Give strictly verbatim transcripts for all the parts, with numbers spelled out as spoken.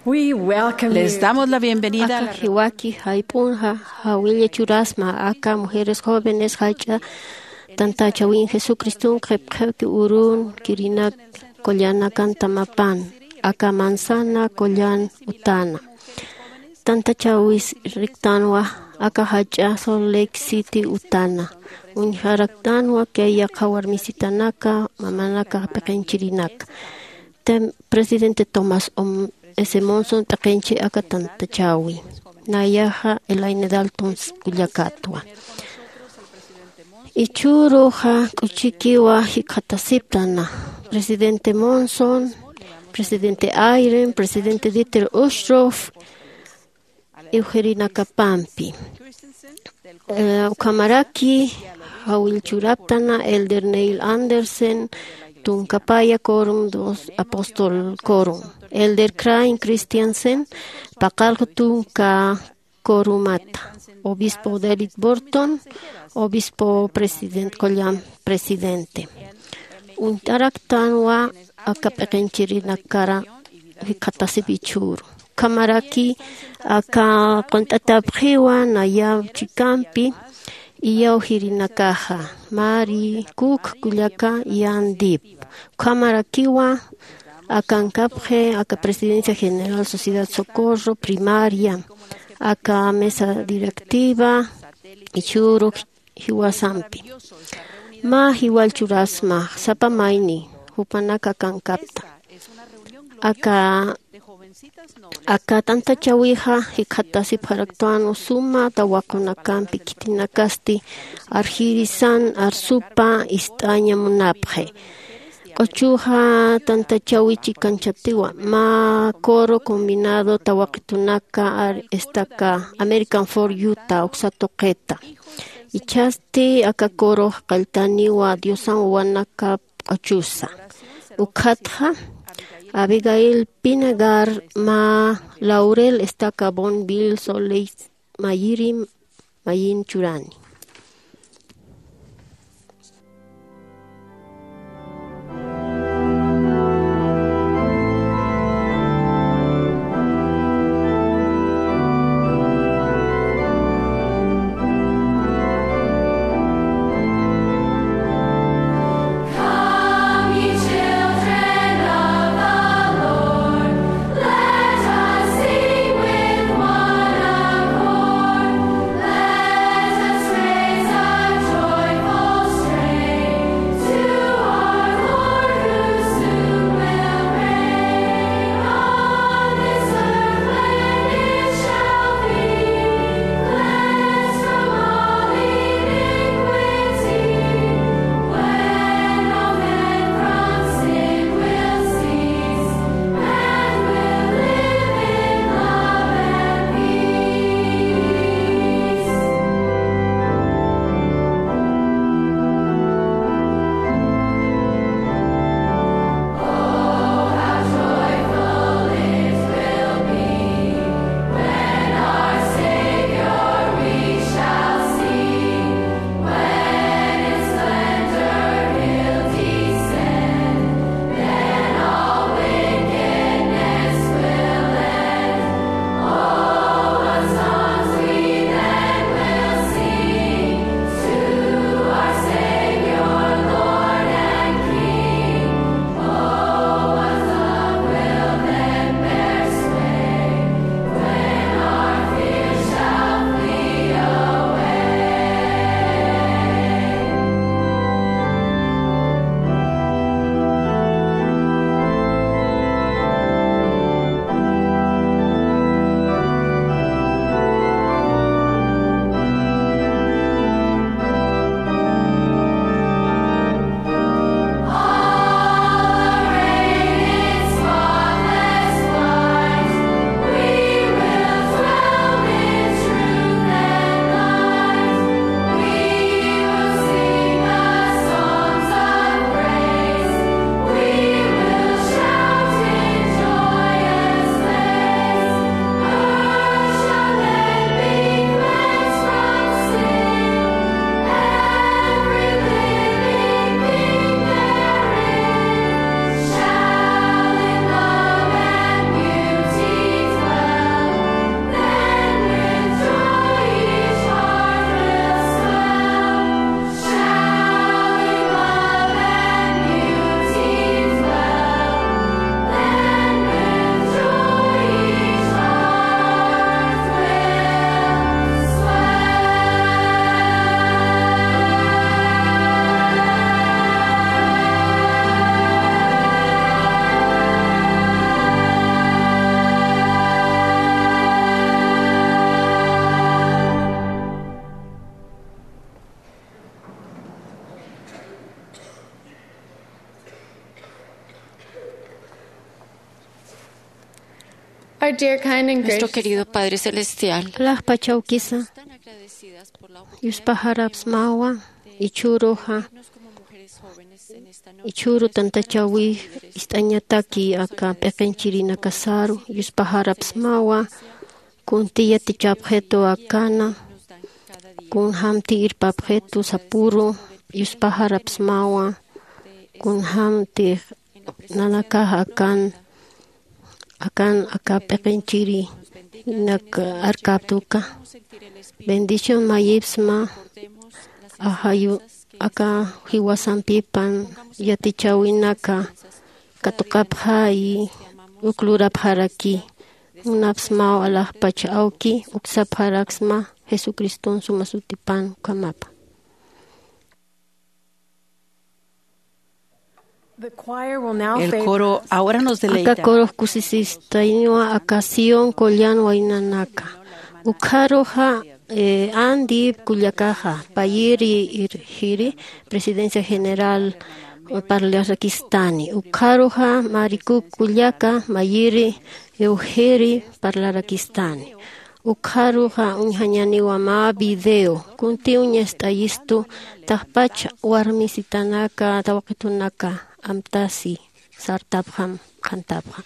We welcome Les you. Damos la bienvenida a la Aka jiwaki jayp'unxa jawilla churasma aka mujeres jóvenes jach'a tantachawin Jesucriston qhipqhaki urun kirinak qullanakan tamapan aka manzana qullan utana. Tantachawis riktanwa aka jach'a Salt Lake City utana. Uñjaraktanwa kay yaqha warmisitanaka, mamanaka, p'iqinchirinaka. Tem-, Presidente Thomas Om-, S. Monson p'iqinchi aka tantachawi. Nayaxa Elaine Dalton kullakatwa. Ichhuruxa k'uchikiwa jikxatasiptana. Presidente Monson, Presidente Eyring, Presidente Dieter Uchtdorf, iwjirinakapampi. Eh, ukhamaraki jawillchuraptana Elder Neil Andersen, Tunkapaya Quorum, Dos Apóstol Quorum, Elder Craig Christiansen, paqallq tunka Quorumata, Obispo David Burton, Obispo President, qullan Presidente. Uñt'araktanwa aka p'iqinchirinakara jikxatasip ichhuru. Ukhamaraki aka qunt'atapxiwa nayaw chikampi, iyawjirinakaxa, Mari Cook kullaka, Ian Deep. Ukhamarakiwa akankapxi aka Presidencia General Sociedad Socorro Primaria, aka mesa directiva, ichhuru jiwasampi. Mä jiwallchurasma, sapa mayni, jupanaka akankapta. Aka, aka tantachawixa jikxatasipxaraktwan suma tawaqunakampi khitinakasti arjirisan arsupa ist'aña munapxi. Q'uchuxa tantachawi chikanchatiwa, mä coro combinado tawaqitunaka ar-, estaca American Force Utah uksa tuqita. Ichhasti aka coro jaqalltaniwa Diosan wawanaka q'uchusa. Ukhatxa Abigail Pinegar mä Laurel estaca Bonneville Salt Lake mayirim mayin churani. Our dear, kind, and Nuestro gracious querido Padre Celestial, alaxpach awkisa, yuspaxarapsmawa, ichhüruxa, ichhüru tantachäwix ist'añataki aka p'iqinchirinakasaru, yuspaxarapsmawa, kunti yatichapxitu akana, kunjamti irpapxitu sapüru, yuspaxarapsmawa, kunjamti nanakax akan, akan aka p'iqinchirinak arkaptuka. Bendición mayipsma, ajayu aka jiwasampipan yatichäwinaka katuqapxayi, uk lurapxaraki. Munapsmaw alaxpach awki, uksapxaraksma Jesucriston suma sutipan ukhamapa. The choir will now El favor coro us. Ahora nos deleita. Aka coro kusisistayniwa aka Sión Qullan waynanaka. Ukxaruxa, eh, Andy kullakaxa, payïri irjiri, Presidencia General, eh, parlarakistani. Ukxaruxa Mariku kullaka, mayïri Eugeri parlarakistani. Ukxaruxa uñjañäniwa mä video, kunti uñast'ayistu, taqpach warmisitanaka, tawaqitunaka, amtasi, sartapxam, qhantapxam.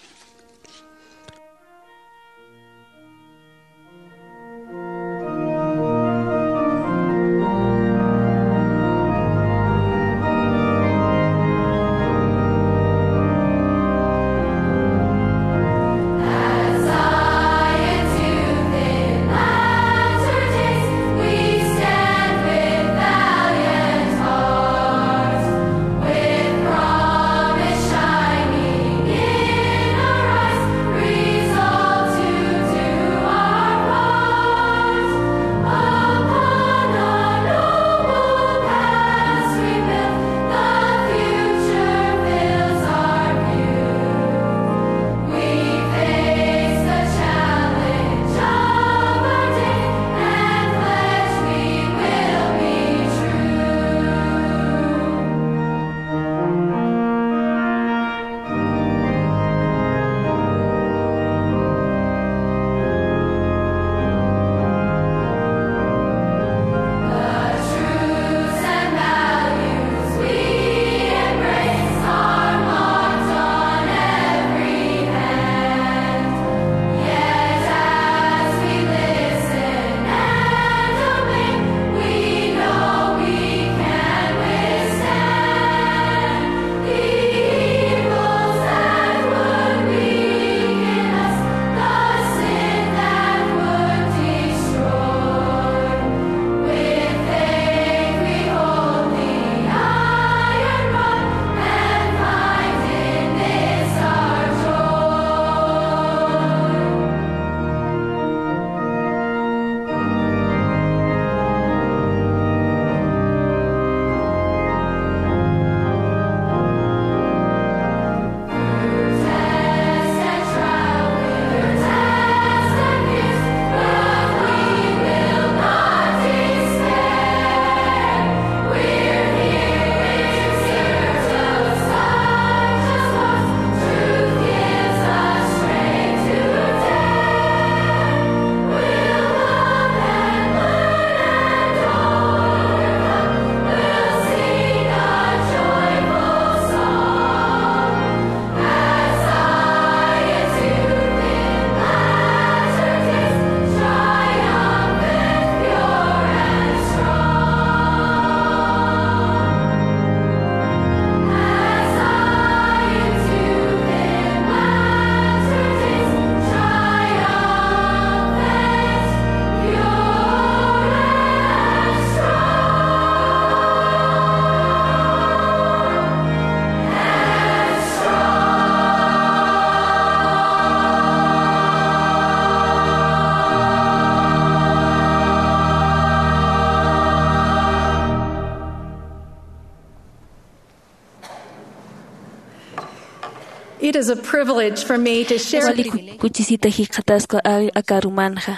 It is a privilege for me to share. Wali ku-, kuchisita jikxatasku a-, aka arumanxa.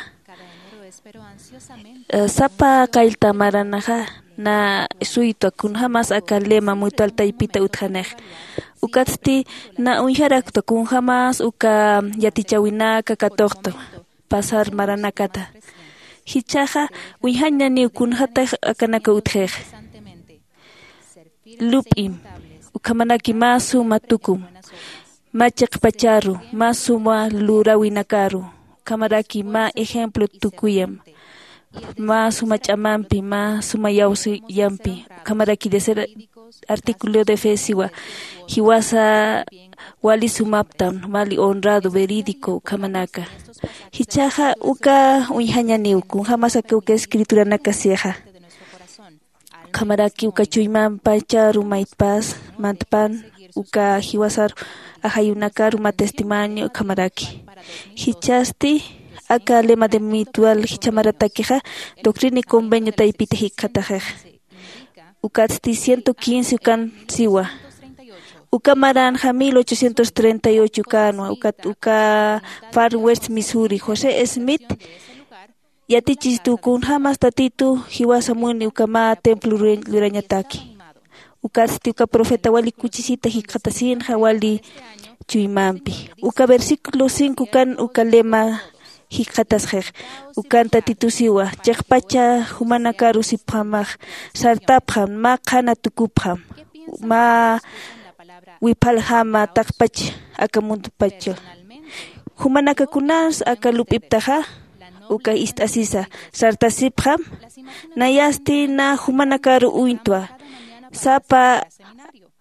Eh, sapa qallta maranaxa na suytwa kunjämas aka lema mutual taypita utjanix. Ukatsti na uñjarakta kunjämas uka yatichäwinaka katuqta pasar maranakata. Jichhaxa uñjañaniw kunjätax akanaka utjixa. Lup'im ukhamaraki mä suma tukum, mä chiqpacharu, mä suma luräwinakaru. Ukhamaraki mä ejemplo tukuyam, mä suma ch'amampi, mä suma iyawsayampi. Ukhamaraki de ser artículo de fe siwa, jiwasa wali sumaptan, wali honrado, verídico ukhamanaka. Jichhaxa uka uñjañaniw kunjämas aka uka escrituranaka sixa. Ukhamaraki uka chuymampacharu maytpas mantpan uka jiwasaru ajayunakaru mä testimonio ukhamaraki. Jichhasti aka lema de mutual jichhamaratakixa doctrina y convenio taypita jikxataxixa. Ukatsti ciento quince ukan siwa. Uka maranxa mil ochocientos treinta y ocho ukanwa ukat uka Far West Missouri josé smith yatichistu kunjämas tatitu jiwasa muni uka mä templo lurañataki. Ukatsti uka profeta wali kuchisita jikxatasinxa wali chuymampi. Uka versículo cinco kan uka lema jikxatasxix. Ukan tatitu siwa chiqpacha jumanakaru sipxamax sartapxam mä qhana tukupxam mä wiphaljama taqpach aka muntupacha. Jumanakakunas aka lup'iptaxa uka ist'asisa sartasipxam. Nayasti na jumanakaru uñtwa sapa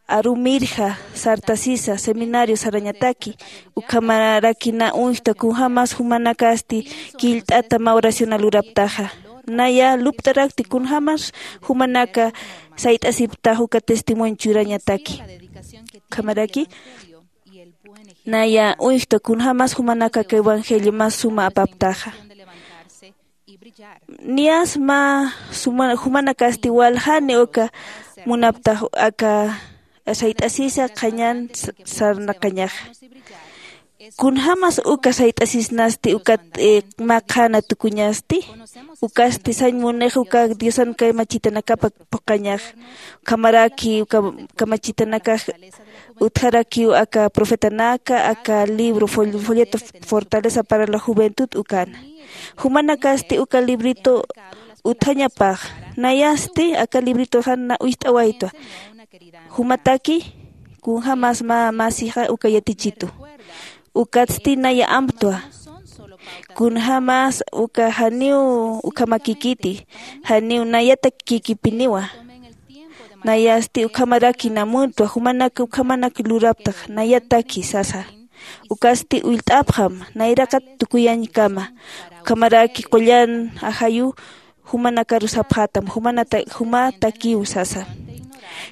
arumirja sartasisa seminario sarañataki. Ukhamaraki na uñjta kunjämas jumanakasti killt'ata mä oraciona luraptaxa. Naya lupt'arakti kunjämas jumanaka sayt'asiptax uka testimonio churañataki. Ukhamaraki naya uñjta kunjämas jumanaka aka evangelio mä suma apaptaxa. Niyas mä jumanakasti waljani uka munaptax aka sayt'asisa qhañan sarnaqañaxa. Kunjämas uka sayt'asisnasti ukat mä qhana tukuñasti. Ukasti sañ munix uka diosan kamachitanakapa phuqañaxa. Ukhamaraki uka kamachitanakax utjarakiw aka profetanaka aka libro folleto fortaleza para la juventud ukana. Jumanakasti uka librito utjañapax nayasti aka libritoxan na ucht'awaytwa. Jumataki kunjämas mä masixa uka yatichitu. Ukatsti naya amtwa kunjämas uka janiw ukhamakikiti janiw nayatakikipiniwa. Nayasti ukhamaraki namuntwa jumanaka ukhamanak luraptax nayataki sasa. Ukasti ullt'apxam nayraqat tukuyañkama. Ukhamaraki qullan ajayu jumanakaru sapxatam jumatakiw sasa.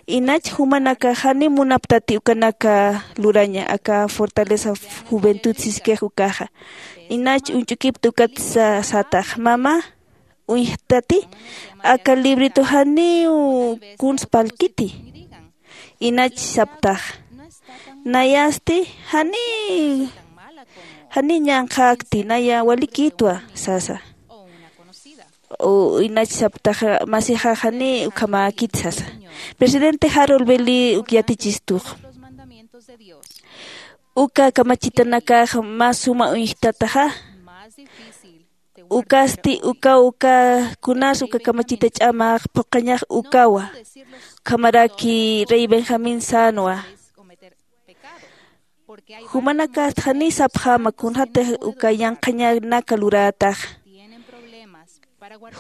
Inach jumanaka jani munaptati ukanaka luraña aka fortaleza juventud siskix ukaxa. Inach uñch'ukipta ukat satax mama uñjtati aka librito janiw kuns palkiti. Inach saptax nayasti jani jani ñanqhakti naya walikitwa sasa. Inach saptax masixa jani ukhamäkit sasa. Presidente jarol beli uk yatichistux uka kamachitanakax mä suma uñjtataxa. Ukasti uka uka kunas uka kamachita ch'amax phuqañax ukawa. Ukhamaraki rey benjamín sänwa. Jumanakast janiy sapxäma kunjätix uka yanqhañanaka lurätaxa.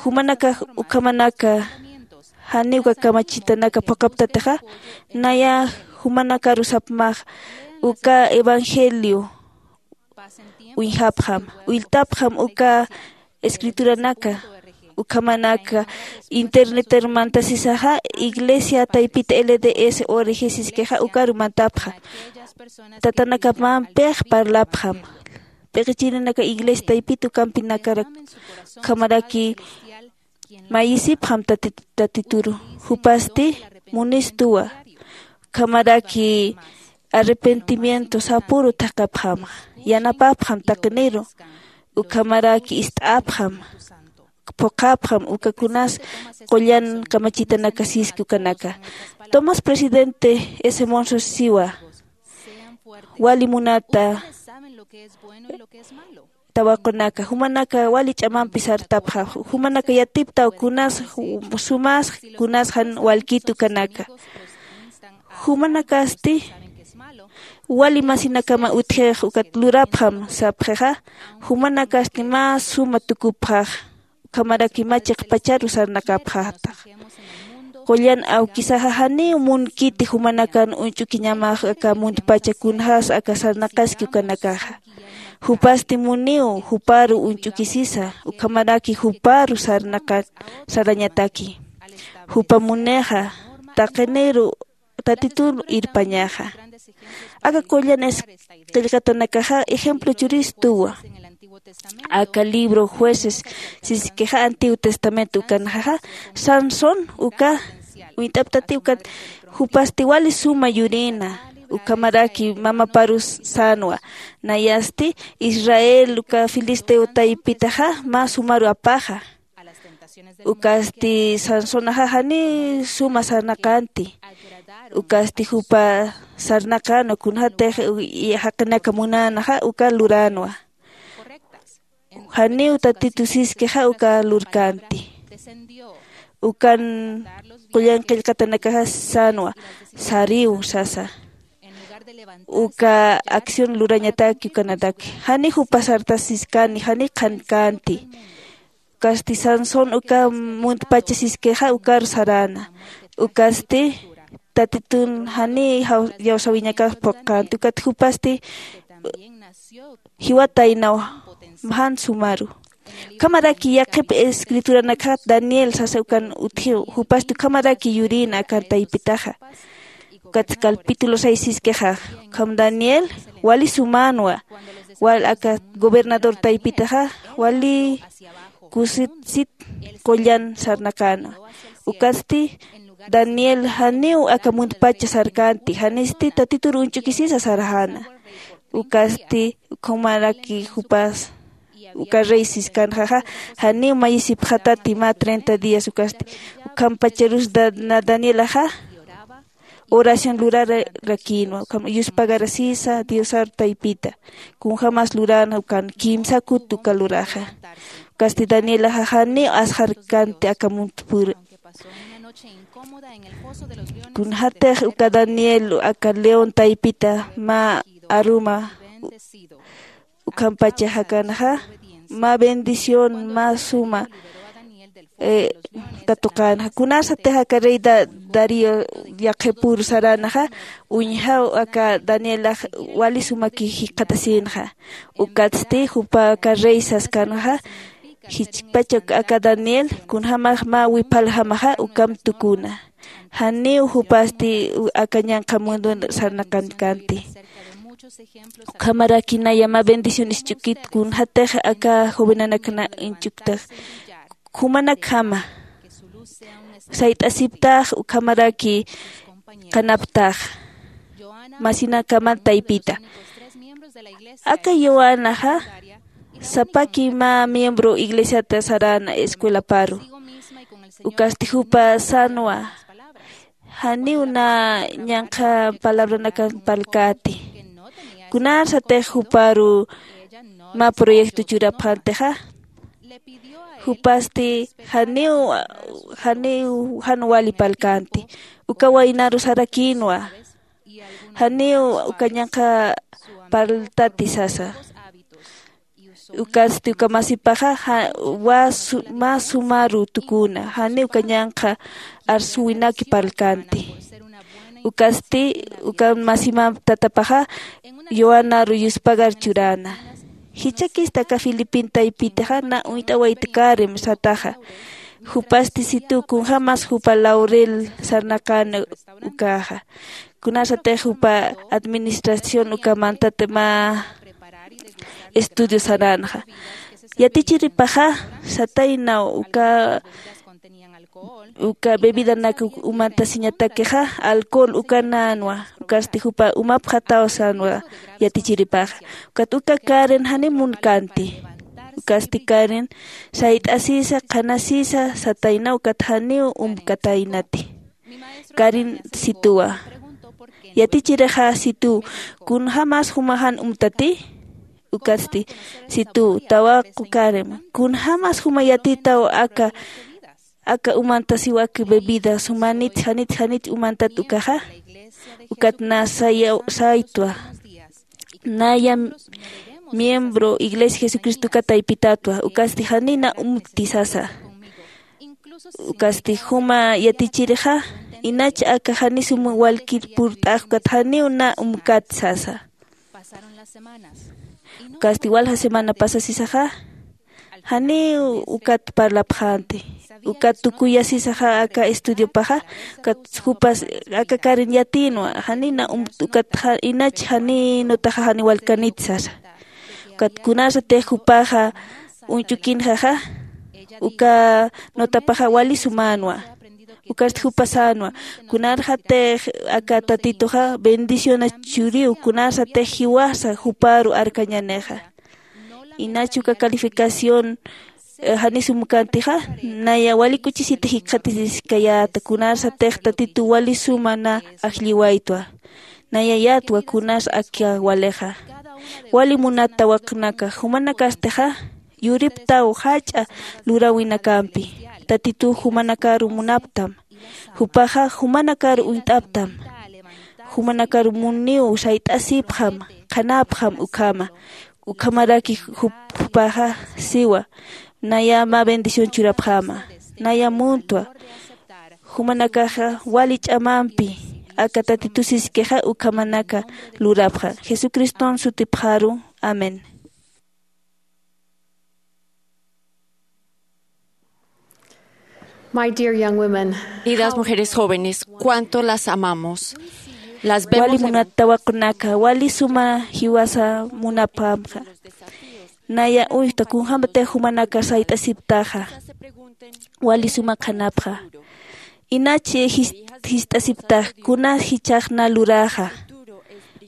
Jumanakax ukhamanaka janiw uka kamachitanaka phuqaptatixa. Naya jumanakaru sapmax uka evangelio uñjapxam ulltapxam uka escrituranaka. Ukhamanaka interneteru mantasisaxa iglesia taypita lds org siskixa ukaru mantapxam. Tatanakamampix parlapxam p'iqichirinaka iglesia taypita ukampinakarak. Ukhamaraki mayisipxam tatituru jupasti munistuwa. Ukhamaraki arrepentimiento sapüru thaqhapxama yanapapxam taqiniru. Ukhamaraki ist'apxam phuqhapxam uka kunas qullan kamachitanaka siski ukanaka. Tomás presidente ese monso siwa wali munata tawaqunaka, jumanaka wali ch'amampi sartapxa, jumanaka yatiptaw kunas sumas, kunas jan walkit ukanaka. Jumanakasti wali masinakama utjix ukat lurapxam sapxixa, jumanakasti mä suma tukupxax, ukhamaraki mä chiqpacharu sarnaqapxaxtax. Qullan awkisaxa janiw munkiti jumanakan uñch'ukiñamax aka muntpacha kunxas aka sarnaqaski ukanakaxa. Jupasti muniw juparu uñch'ukisisa, ukhamaraki juparu sarnaqan sarañataki. Jupa munixa taqiniru tatitun irpañaxa. Aka qullan qillqatanakaxa ejemplo churistuwa. Aka libro Jueces siskixa, Antiguo Testamento ukanxaxa, Sansón uka uñt'aptati ukat, jupasti wali suma yurïna, ukhamaraki mamaparu sänwa. Nayasti Israel uka filisteo taypitaxa mä sumaru apaxa. Ukasti Sansonaxa janiw suma sarnaqänti. Ukasti jupa sarnaqänwa, kunjatix jaqinaka munänaxa uka luränwa. Janiw tatitu siskixa uka lurkänti. Ukan qullan qillqatanakaxa sänwa, sariw sasa. Uka acción lurañataki ukanataki. Jani jupa sartas siskani, jani qhankänti. Ukasti Sansón uka muntpacha siskixa ukar saräna. Ukasti tatitun jani iyawsawiñakax phuqhänti. Ukat jupasti jiwataynaw jan sumaru. Ukhamaraki yaqhip escrituranakaxat Daniel sasa ukan utjiw, jupasti ukhamaraki yurïna akan taypitaxa. Ukat capítulo seis siskixa, ukham Daniel wali sumänwa, wal aka gobernador taypitaxa wali kusisit qullan sarnaqänwa. Ukasti Daniel janiw aka muntpacha sarkänti, janisti tatitur uñch'ukisisa sarxäna. Ukasti ukhamaraki jupas uka rey siskanxaxa, janiw mayisipxatati mä treinta días. Ukasti ukhampacharus Da- na- Danielaxa oración lurarakïnwa, ukham yuspagarasisa Diosar taypita. Kunjämas luräna ukan kimsa kut uka luraxa. Ukasti Danielaxa janiw asxarkänti aka muntpura. Kunjatix uka Daniel aka león taypita mä aruma ukhampachax akanxa, mä bendición, mä suma katuqänxa. Kunasatix aka rey Darío yaqhipür saränaxa, uñjaw aka Danielax wali sumaki jikxatasïnxa. Ukatsti jupa aka rey saskanxa, jichpacha aka Daniel kunjämax mä wiphaljamaxa ukham tukuna. Janiw jupasti aka ñanqha mundun sarnaqankänti. Ukhamaraki naya mä bendición isch'ukit kunjatix aka jovenanakna isch'uktax. Jumanakjama sayt'asiptax ukhamaraki qhanaptax masinakaman taypita. Aka Joanaxa sapaki mä miembro iglesiata saräna escuelaparu. Ukasti jupa sänwa, janiw na ñanqha palabranakan parlkäti. Kunarsatix juparu mä proyecto churapxäntixa, jupasti janiw janiw jan wali parlkänti. Uka waynaru sarakïnwa, janiw uka ñanqha parltati sasa. Ukatsti uka masipaxa mä sumaru tukuna, janiw uka ñanqha arsuwinaki parlkänti. Ukatsti uka masimam tatapaxa Joanaru yuspagar churäna. Jichhakisti aka Filipin taypitixa na uñt'awayta Karen sataxa. Jupasti situ kunjämas jupa Laurel sarnaqäna ukaxa. Kunasatix jupa administración uka mantat mä estudio saränxa. Yatichiripaxa sataynaw uka uka bebidanak umantasiñatakixa alcohol ukanänwa, ukasti jupa umapxataw sänwa yatichiripaxa. Ukat uka Karen janiw munkänti. Ukasti Karen sayt'asisa, qhanasisa sataynaw ukat janiw umkataynati. Karen situwa. Yatichirixa situw, kunjämas jumaxan umtati? Ukatsti situw, tawaqu karim, kunjämas juma yatitaw aka aka umantasiw aka bebida sumanit janit janit umantat ukaxa? Ukat na saya saytwa, naya miembro iglesia jesucristo uka taypitatwa. Ukatsti janina umkti sasa. Ukatsti juma yatichirixa, inach aka janisum walkir purt'ax ukat janiw na umkat sasa. Ukatsti walja semana pasasisaxa, janiw ukat parlapxänti. Ukat tukuyasisaxa aka estudiopaxa, ukat jupas aka karin yatïnwa, janina ukat inach jani notaxa jani walkanit sasa. Ukat kunasatix jupaxa uñch'ukinxaxa, uka notapaxa wali sumänwa. Ukatsti jupa sänwa, kunarxatix aka tatituxa bendicionas churiw, kunasatix jiwasa juparu arkañänixa. Inach uka calificación janisum kantixa, naya wali kuchisita jikxatisiskayäta, kunasatix tatitu wali suma na ajlliwaytwa. Naya yatwa kunas aka walixa. Wali munat tawaqunaka, jumanakastixa yuriptaw jach'a luräwinakampi. Tatitux jumanakaru munaptam. Jupaxa jumanakaru uñt'aptam. Jumanakaru muniw sayt'asipxam, qhanapxam ukhama. Ukhamaraki jupaxa siwa, naya mä bendición churapxäma. Naya muntwa. Jumanakaxa wali ch'amampi aka tatitu siskixa ukhamanaka lurapxam. Jesucriston sutipxaru. Amén. My dear young women, queridas mujeres jóvenes, cuánto las amamos. Las vemos. Wali munat tawaqunaka, wali suma jiwasa munapxamxa. Naya uñjta kunjämatix jumanaka sayt'asiptaxa. Wali suma qhanapxa. Inach jist'asiptax kunas jichhax na luräxa.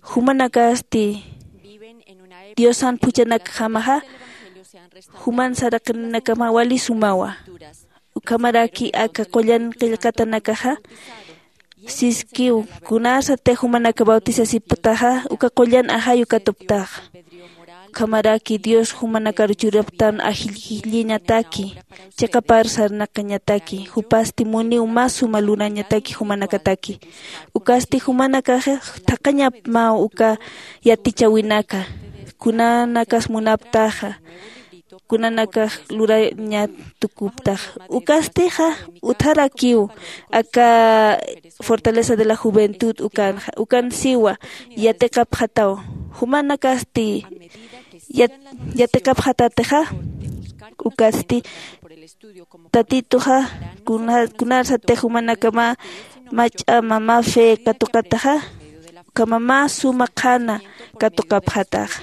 Jumanakasti diosan phuchhanakjamaxa, juman saraqirinakama wali sumawa. Ukhamaraki aka qullan qillqatanakaxa siskiw, kunasatix jumanaka bautisasiptaxa uka qullan ajayu katuptaxa. Ukhamaraki dios jumanakaru churaptan ajlliñataki, chiqapar sarnaqañataki, jupasti muniw mä suma lurañataki jumanakataki. Ukasti jumanakaxa thaqhañapmaw uka yatichäwinaka, kunanakas munaptaxa, kunanakax lurañat tukuptax. Ukastixa utharakiw aka fortaleza de la juventud ukanxa, ukan siwa yatiqapxataw. Jumanakasti yatiqapxatatixa, ukasti tatituxa kunarsatix jumanakama mä ch'ama mä fe katuqataxa, ukhama mä suma qhana katuqapxataxa.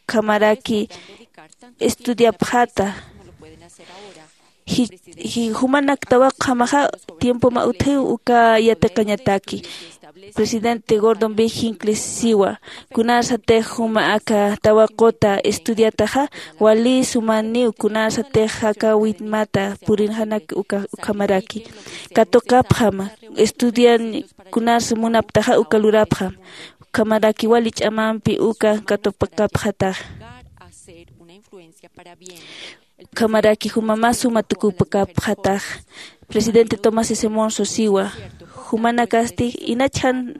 Ukhamaraki estudiapxata. Jumanak tawaqjamaxa tiempoma utjiw uka yatiqañataki. Presidente gordon b hinckley siwa, kunarsatix juma aka tawaquta estudiataxa, wali sumaniw kunarsatix jakawitmata purinxanak ukhamaraki. Katuqapxam estudian, kunars munaptaxa uka lurapxam. Ukhamaraki wali ch'amampi uka katuqapxataxa. Ukhamaraki juma mä suma tukupkapxatax. Presidente tomás s monso siwa, jumanakasti inachjan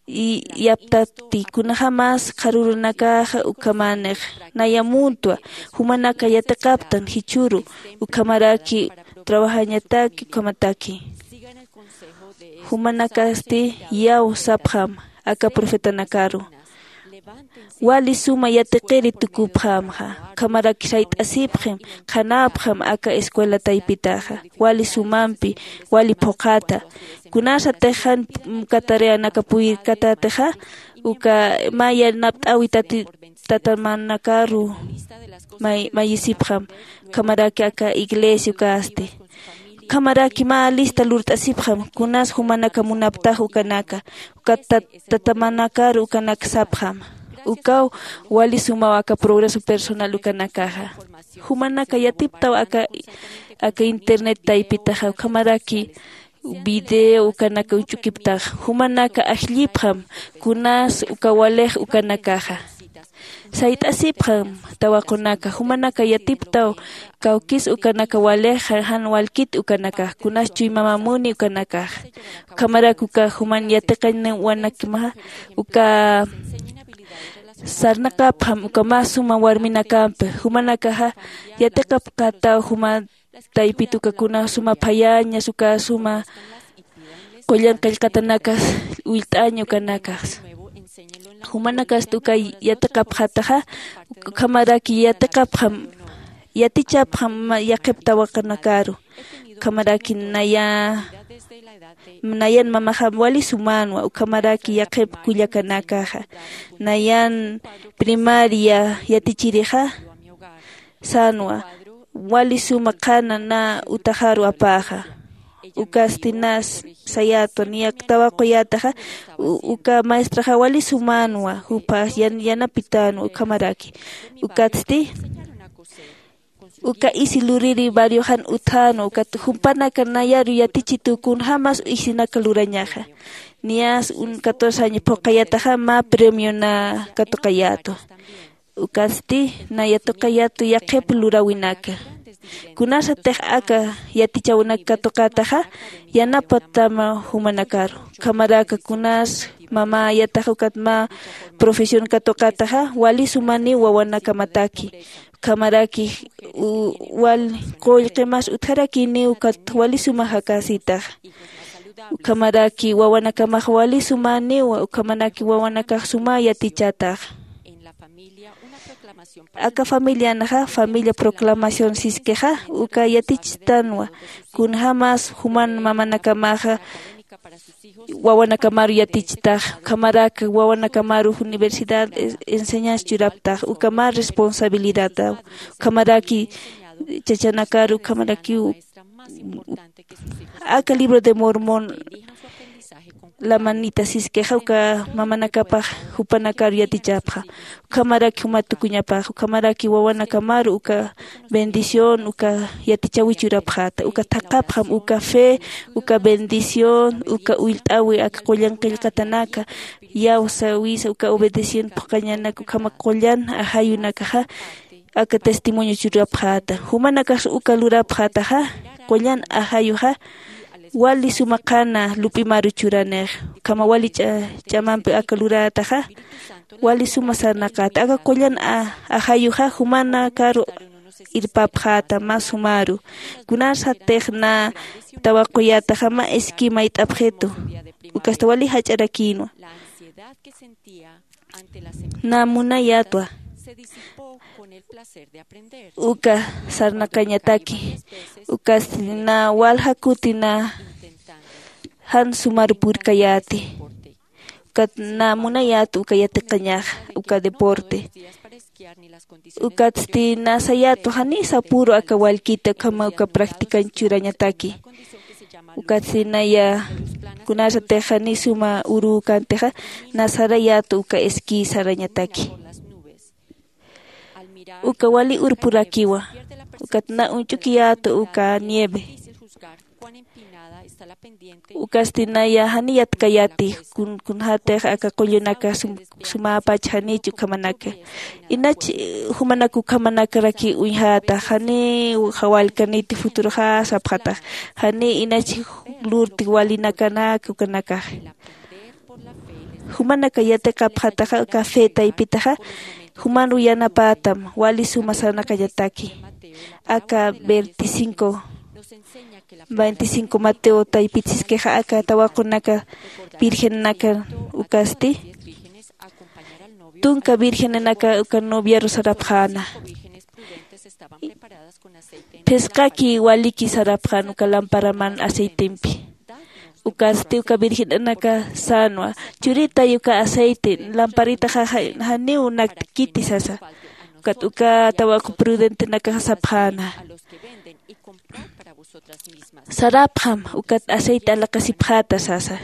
yaptapti kunjämas qharürunakaxa ukhamänix. Naya muntwa, jumanaka yatiqaptan jichhüru ukhamaraki trabajañataki ukhamataki. Jumanakasti yaw sapxam aka profetanakaru, wali suma yatiqiri tukupxämxa. Ukhamaraki sayt'asipxim, qhanapxam aka escuela taypitaxa wali sumampi wali phuqhata. Kunarsatix jan katareanaka puyirkatatixa, uka mä yanapt'äwi tatamanakaru mayisipxam. Ukhamaraki aka iglesia ukasti, ukhamaraki mä lista lurt'asipxam kunas jumanaka munaptax ukanaka. Ukat tatamanakaru ukanak sapxam. Ukaw wali sumaw aka progreso personal ukanakaxa. Jumanaka yatiptaw aka internet taypitaxa ukhamaraki video ukanaka uñch'ukiptaxa. Jumanaka ajllipxam kunas uka walix ukanakaxa. Sayt'asipxam tawaqunaka jumanaka yatiptaw kawkis ukanaka walixa jan walkit ukanakax kunas chuymamamuni ukanakax. Ukhamarak uka juman yatiqañwanakma uka sarnaqapxam uka mä suma warminakampi jumanakaxa yatiqapxataw juma taypit uka kuna suma phayañas uka suma qullan qillqatanakas willt'añ ukanakax. Jumanakast uka yatiqapxataxa ukhamaraki yatiqapxam yatichapxam yaqhip tawaqunakaru. Ukhamaraki naya nayan mamaxa wali sumänwa ukhamaraki yaqhip kullakanakaxa nayan primaria yatichirixa sänwa wali suma qhana na utaxaru apäxa. Ukasti nas sayätwa niya tawaquyätaxa uka maestraxa wali sumänwa jupax yanapitänwa ukhamaraki. Ukatsti uka isi luriri barrioxan uthänwa ukat jumpanaka nayaru yatichituw kunjämas isinaka lurañaxa. Niyas un catorce año phuqhayataxa mä premio na katuqayätwa. Ukatsti na yatuqayätwa yaqhip luräwinaka kunasatix aka yatichäwinak katuqätaxa yanapatama jumanakaru. Ukhamaraka kunas mamäyataxa ukat mä profesión katuqätaxa wali sumaniw wawanakamataki. Ukhamaraki wal qullqi mas utjarakiniw ukat wali suma jakäsitaxa. Ukhamaraki wawanakamax wali sumäniwa ukhamaraki wawanakax sumä yatichätaxa. Aka familianxa familia proclamación siskixa uka yatichtanwa kunjämas juman mamanakamaxa wawanakamaru yatichtax. Ukhamaraki wawanakamaru universidad enseñanza churaptax uka mä responsabilidadaw. Ukhamaraki chachanakaru ukhamarakiw aka libro de mormón lamanita siskixa uka mamanakapax jupanakaru yatichapxa. Ukhamaraki juma tukuñapax ukhamaraki wawanakamaru uka bendición uka yatichäwi churapxäta uka thaqhapxam uka fe uka bendición uka ullt'äwi aka qullan qillqatanaka iyawsawisa uka obedecien phuqhañanak ukhama qullan ajayunakaxa aka testimonio churapxäta. Jumanakax uka lurapxätaxa qullan ajayuxa wali suma qhana lup'imaru churanix ukhama wali ch'amampi aka lurätaxa wali suma sarnaqäta aka qullan ajayuxa jumanakaru irpapxäta mä sumaru. Kunasatix na tawaquyätaxa mä esquí mayt'apxitu ukasta wali jach'arakïnwa. Na munayätwa uka sarnaqañataki ukasti na walja kuti na jan sumaru purkayäti. Ukat na munayätwa uka yatiqañaxa uka deporte. Ukatsti na sayätwa janiw sapüru aka wallkita ukhama uka practicañ churañataki. Ukatsti naya kunasatix janiw suma urükantixa na sarayätwa uka esquí sarañataki. Uka wali urpurakiwa ukat na uñch'ukiyätwa uka nieve. Ukasti naya janiw yatkayäti kunjätix aka qullunaka sumäpach janich ukhamanaka. Inach jumanak ukhamanakarakiw uñjäta janiw jawallkaniti futuruxa sapxatax. Janiw inach lurti walinakanak ukanakaxa jumanaka yatiqapxataxa uka fe taypitaxa jumanru yanapätam wali suma sarnaqañataki. Aka veinticinco veinticinco mateo taypit siskixa aka tawaqunaka virgenanaka ukasti tunka virgenanaka uka noviaru sarapxäna. Phisqaki waliki sarapxän uka lamparaman aceitempi. Ukasti uka virgenanaka sänwa churitay uka aceite lamparitaxa janiw nakkiti sasa. Ukat uka tawaqu prudentenakaxa sapxäna sarapxam ukat aceite alaqasipxäta sasa.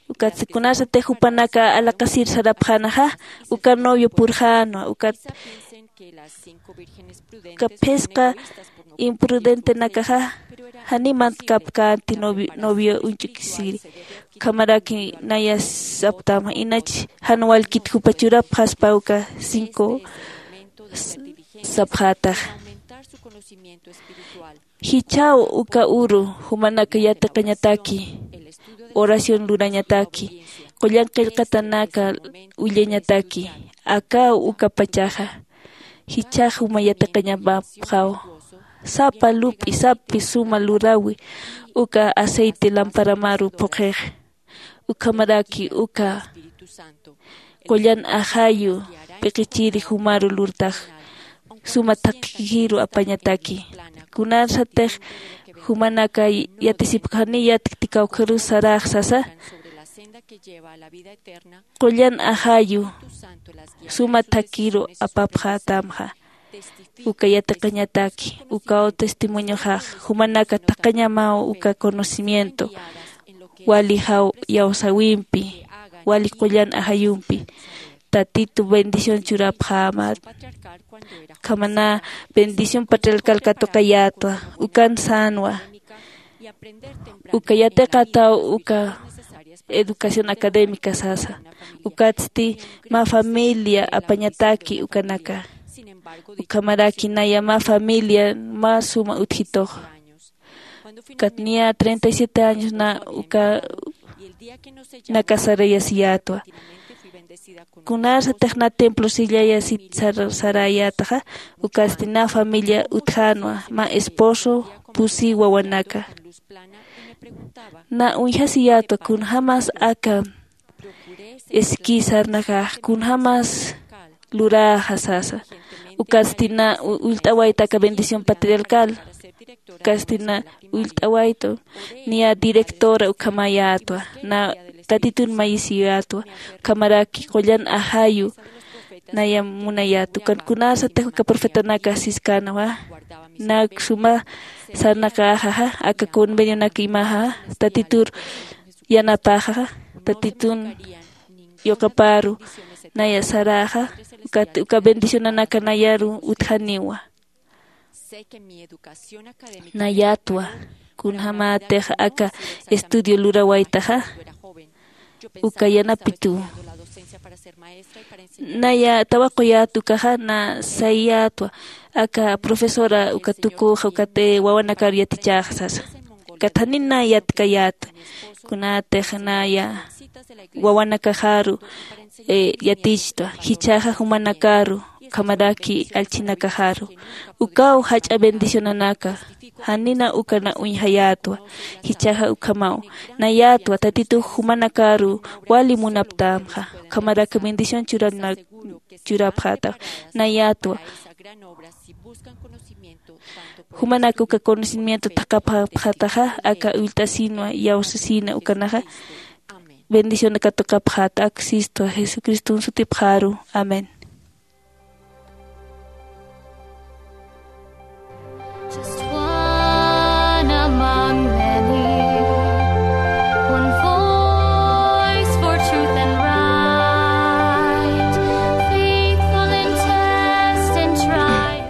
Ukat kunasatix jupanaka alaqasir sarapxänaxa uka novio purxänwa ukat uka phisqa imprudentenakaxa janiw mantkapkänti novio uñch'ukisiri. Ukhamaraki naya saptama inach jan walkit jupa churapxaspa uka cinco sapxätaxa. Jichhaw uka uru jumanaka yatiqañataki, oración lurañataki, qullan qillqatanaka willañataki, akaw ukapachaxa jichhax juma yatiqañapapxaw. Sapa lup'i sappi suma luräwi uka aceite lamparamaru phuqhix. Ukhamaraki uka qullan ajayu p'iqichiri jumaru lurtax suma thaqhiru apañataki. Kunarsatix jumanaka yatisipkani yatkti kawkharus saräx sasa, qullan ajayu suma thakhiru apapxätamxa. Uka yatiqañataki ukaw testimonioxax jumanaka thaqhañamaw uka conocimiento wali jaw iyawsäwimpi, wali qullan ajayumpi Tatitu bendición churapxämät. Ukhamanä bendición patriarcal katuqayätwa. Ukan sänwa uka yatiqataw uka educación académica sasa. Ukatsti mä familia apañataki ukanaka. Ukhamaraki naya mä familia mä suma utjitux. Ukat niya treinta y siete años na uka naka sarayasiyätwa. Kunarsatix na templo sillayasit saräyätaxa. Ukatsti na familia utjänwa mä esposo pusi wawanaka. Na uñjasiyätwa kunjämas aka iskisarnakax kunjämas luräxa sasa. Ukatsti na ullt'awayta aka bendición patriarcal. Ukatsti na ullt'awaytu niya directora ukhamayätwa na tatitun mayisiyätwa. Ukhamaraki qullan ajayu naya munayätwa. Ukan kunarsatix uka profetanaka siskänwa. Nak suma sarnaqäxaxa aka convenionak imaxa tatitur yanapaxaxa tatitun yuqaparu naya saräxa. Uka bendicionanaka nayaru utjaniwa. Nayätwa kunjämätix aka estudio lurawaytaxa uka yanapituw. Naya tawaquyät ukaxa na sayätwa aka profesora uka tukuxa ukat wawanakar yatichäxa sasa. Ukat janin na yatkayät kunätix naya wawanakaxaru yatichtwa jichhaxa jumanakaru ukhamaraki allchhinakaxaru. Ukaw jach'a bendicionanaka janina uka na uñjayätwa. Jichhaxa ukhamaw nayätwa tatitux jumanakaru wali munaptamxa. Ukhamaraki bendición churapxätaw. Nayätwa jumanak uka conocimiento thaqhapxätaxa aka ullt'asinwa iyawsasina ukanaxa bendición katuqapxät ak sistwa jesucriston sutipxaru. Amén. Just one among many, one voice for truth and right, faithful in test and trial.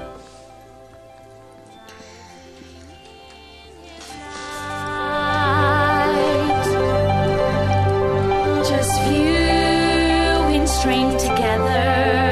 Just few in strength together.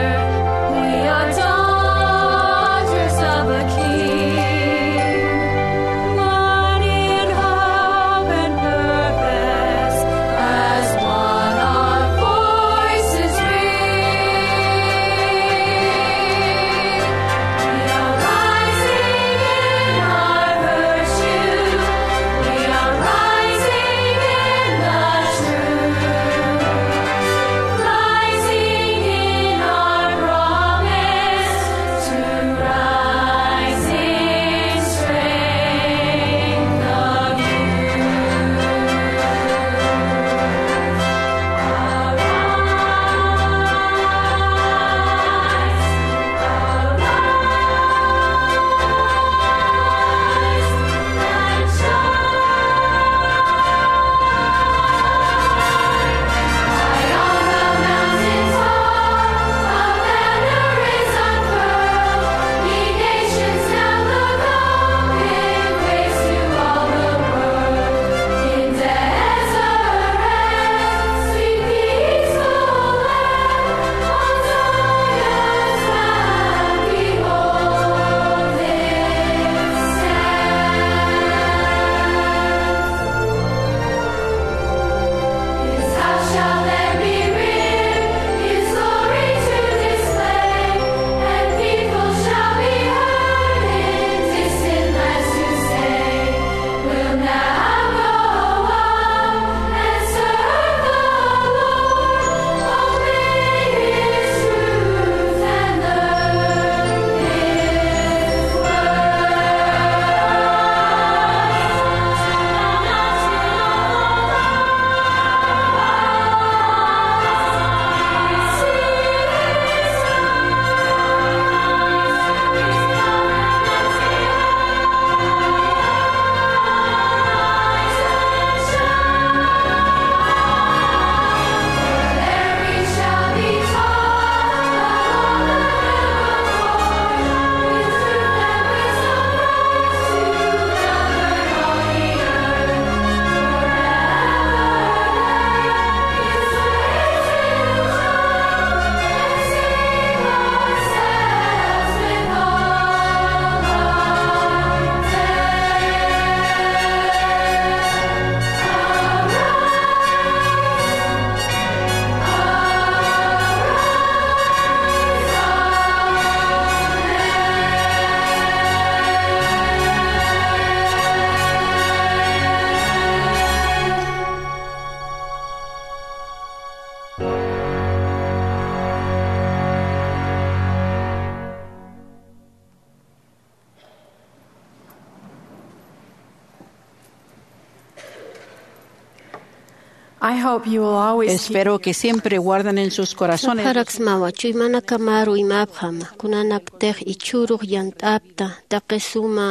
Espero que siempre guarden en sus corazones. Sapharaksmawa chuymanakamaru imapxama kunanaktix ichhurux yant'apta taqi suma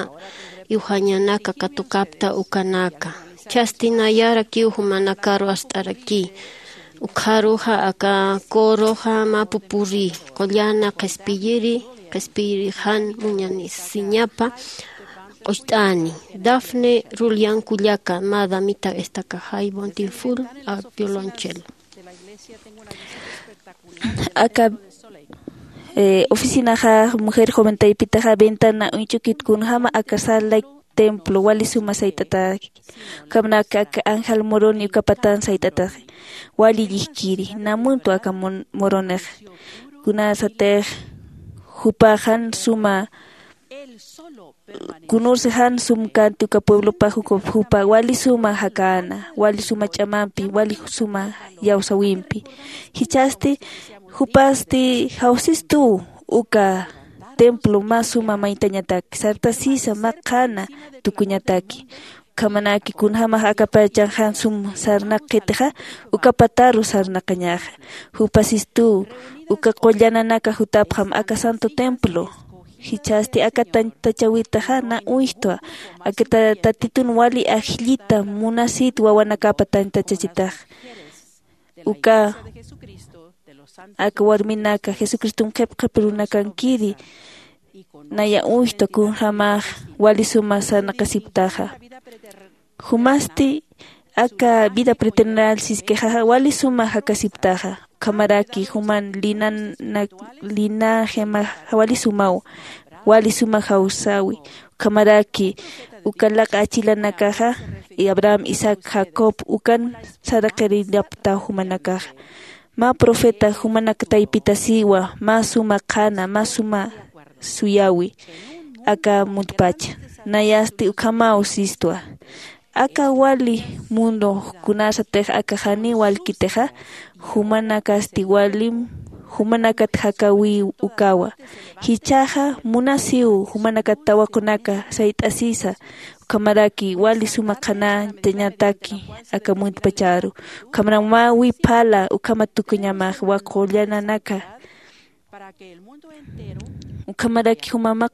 yujañanaka katuqapta ukanaka. Chasti nayarakiw jumanakaru ast'araki. Ukxaruxa aka coroxa mä pupuri qullana qhispiyiri qhispiyiri jan muñanisiñapa q'ucht'ani. Dafne rullan kullaka mä damita estacaxay bontinful a violonchelo. Aka oficinaxa mujer joven taypitaxa ventana uñch'ukit kunjama aka sala templo wali suma sayt'ataki. Ukhamnak aka ángel moroni ukapatan sayt'ataxi wali llijkiri namuntu aka moronixa. Kunasatix jupaxan suma kunursi jan sumkänti uka pueblopax jupa wali suma jakäna wali suma ch'amampi wali suma iyawsäwimpi. Jichhasti jupasti jawsistuw uka templo mä suma maytañataki sartasisa mä qhana tukuñataki. Ukhamanaki kunjämax akapachan jan sum sarnaqkitixa ukapataru sarnaqañaxa. Jupasistuw uka qullananaka jutapxam aka santo templo. Jichhasti aka tantachawitaxa na uñjtwa aka tatitun wali ajllita munasït wawanakapa tantachachitaxa. Uka aka warminaka jesucriston qhipqhipirunakankiri naya uñjtwa kunjämax wali suma sarnaqasiptaxa. Jumasti aka vida preterna siskixaxa wali suma jakasiptaxa. Ukhamaraki juman linajemaxa wali sumaw wali suma jawsäwi. Ukhamaraki uka laq'a achilanakaxa abraham isaac jacob ukan saraqirillaptaw jumanakaxa. Mä profeta jumanak taypita siwa mä suma qhana mä suma suyäwi aka muntpacha. Nayasti ukhamaw sistwa aka wali mundo kunasatix aka janiw walkitixa jumanakasti walim jumanakat jakawï ukawa. Jichhaxa munasiw jumanakat tawaqunaka sayt'asisa ukhamaraki wali suma qhanantañataki aka muntpacharu. Ukhamara mä wiphala ukhama tukuñamax wak qullananaka ukhamaraki juma mä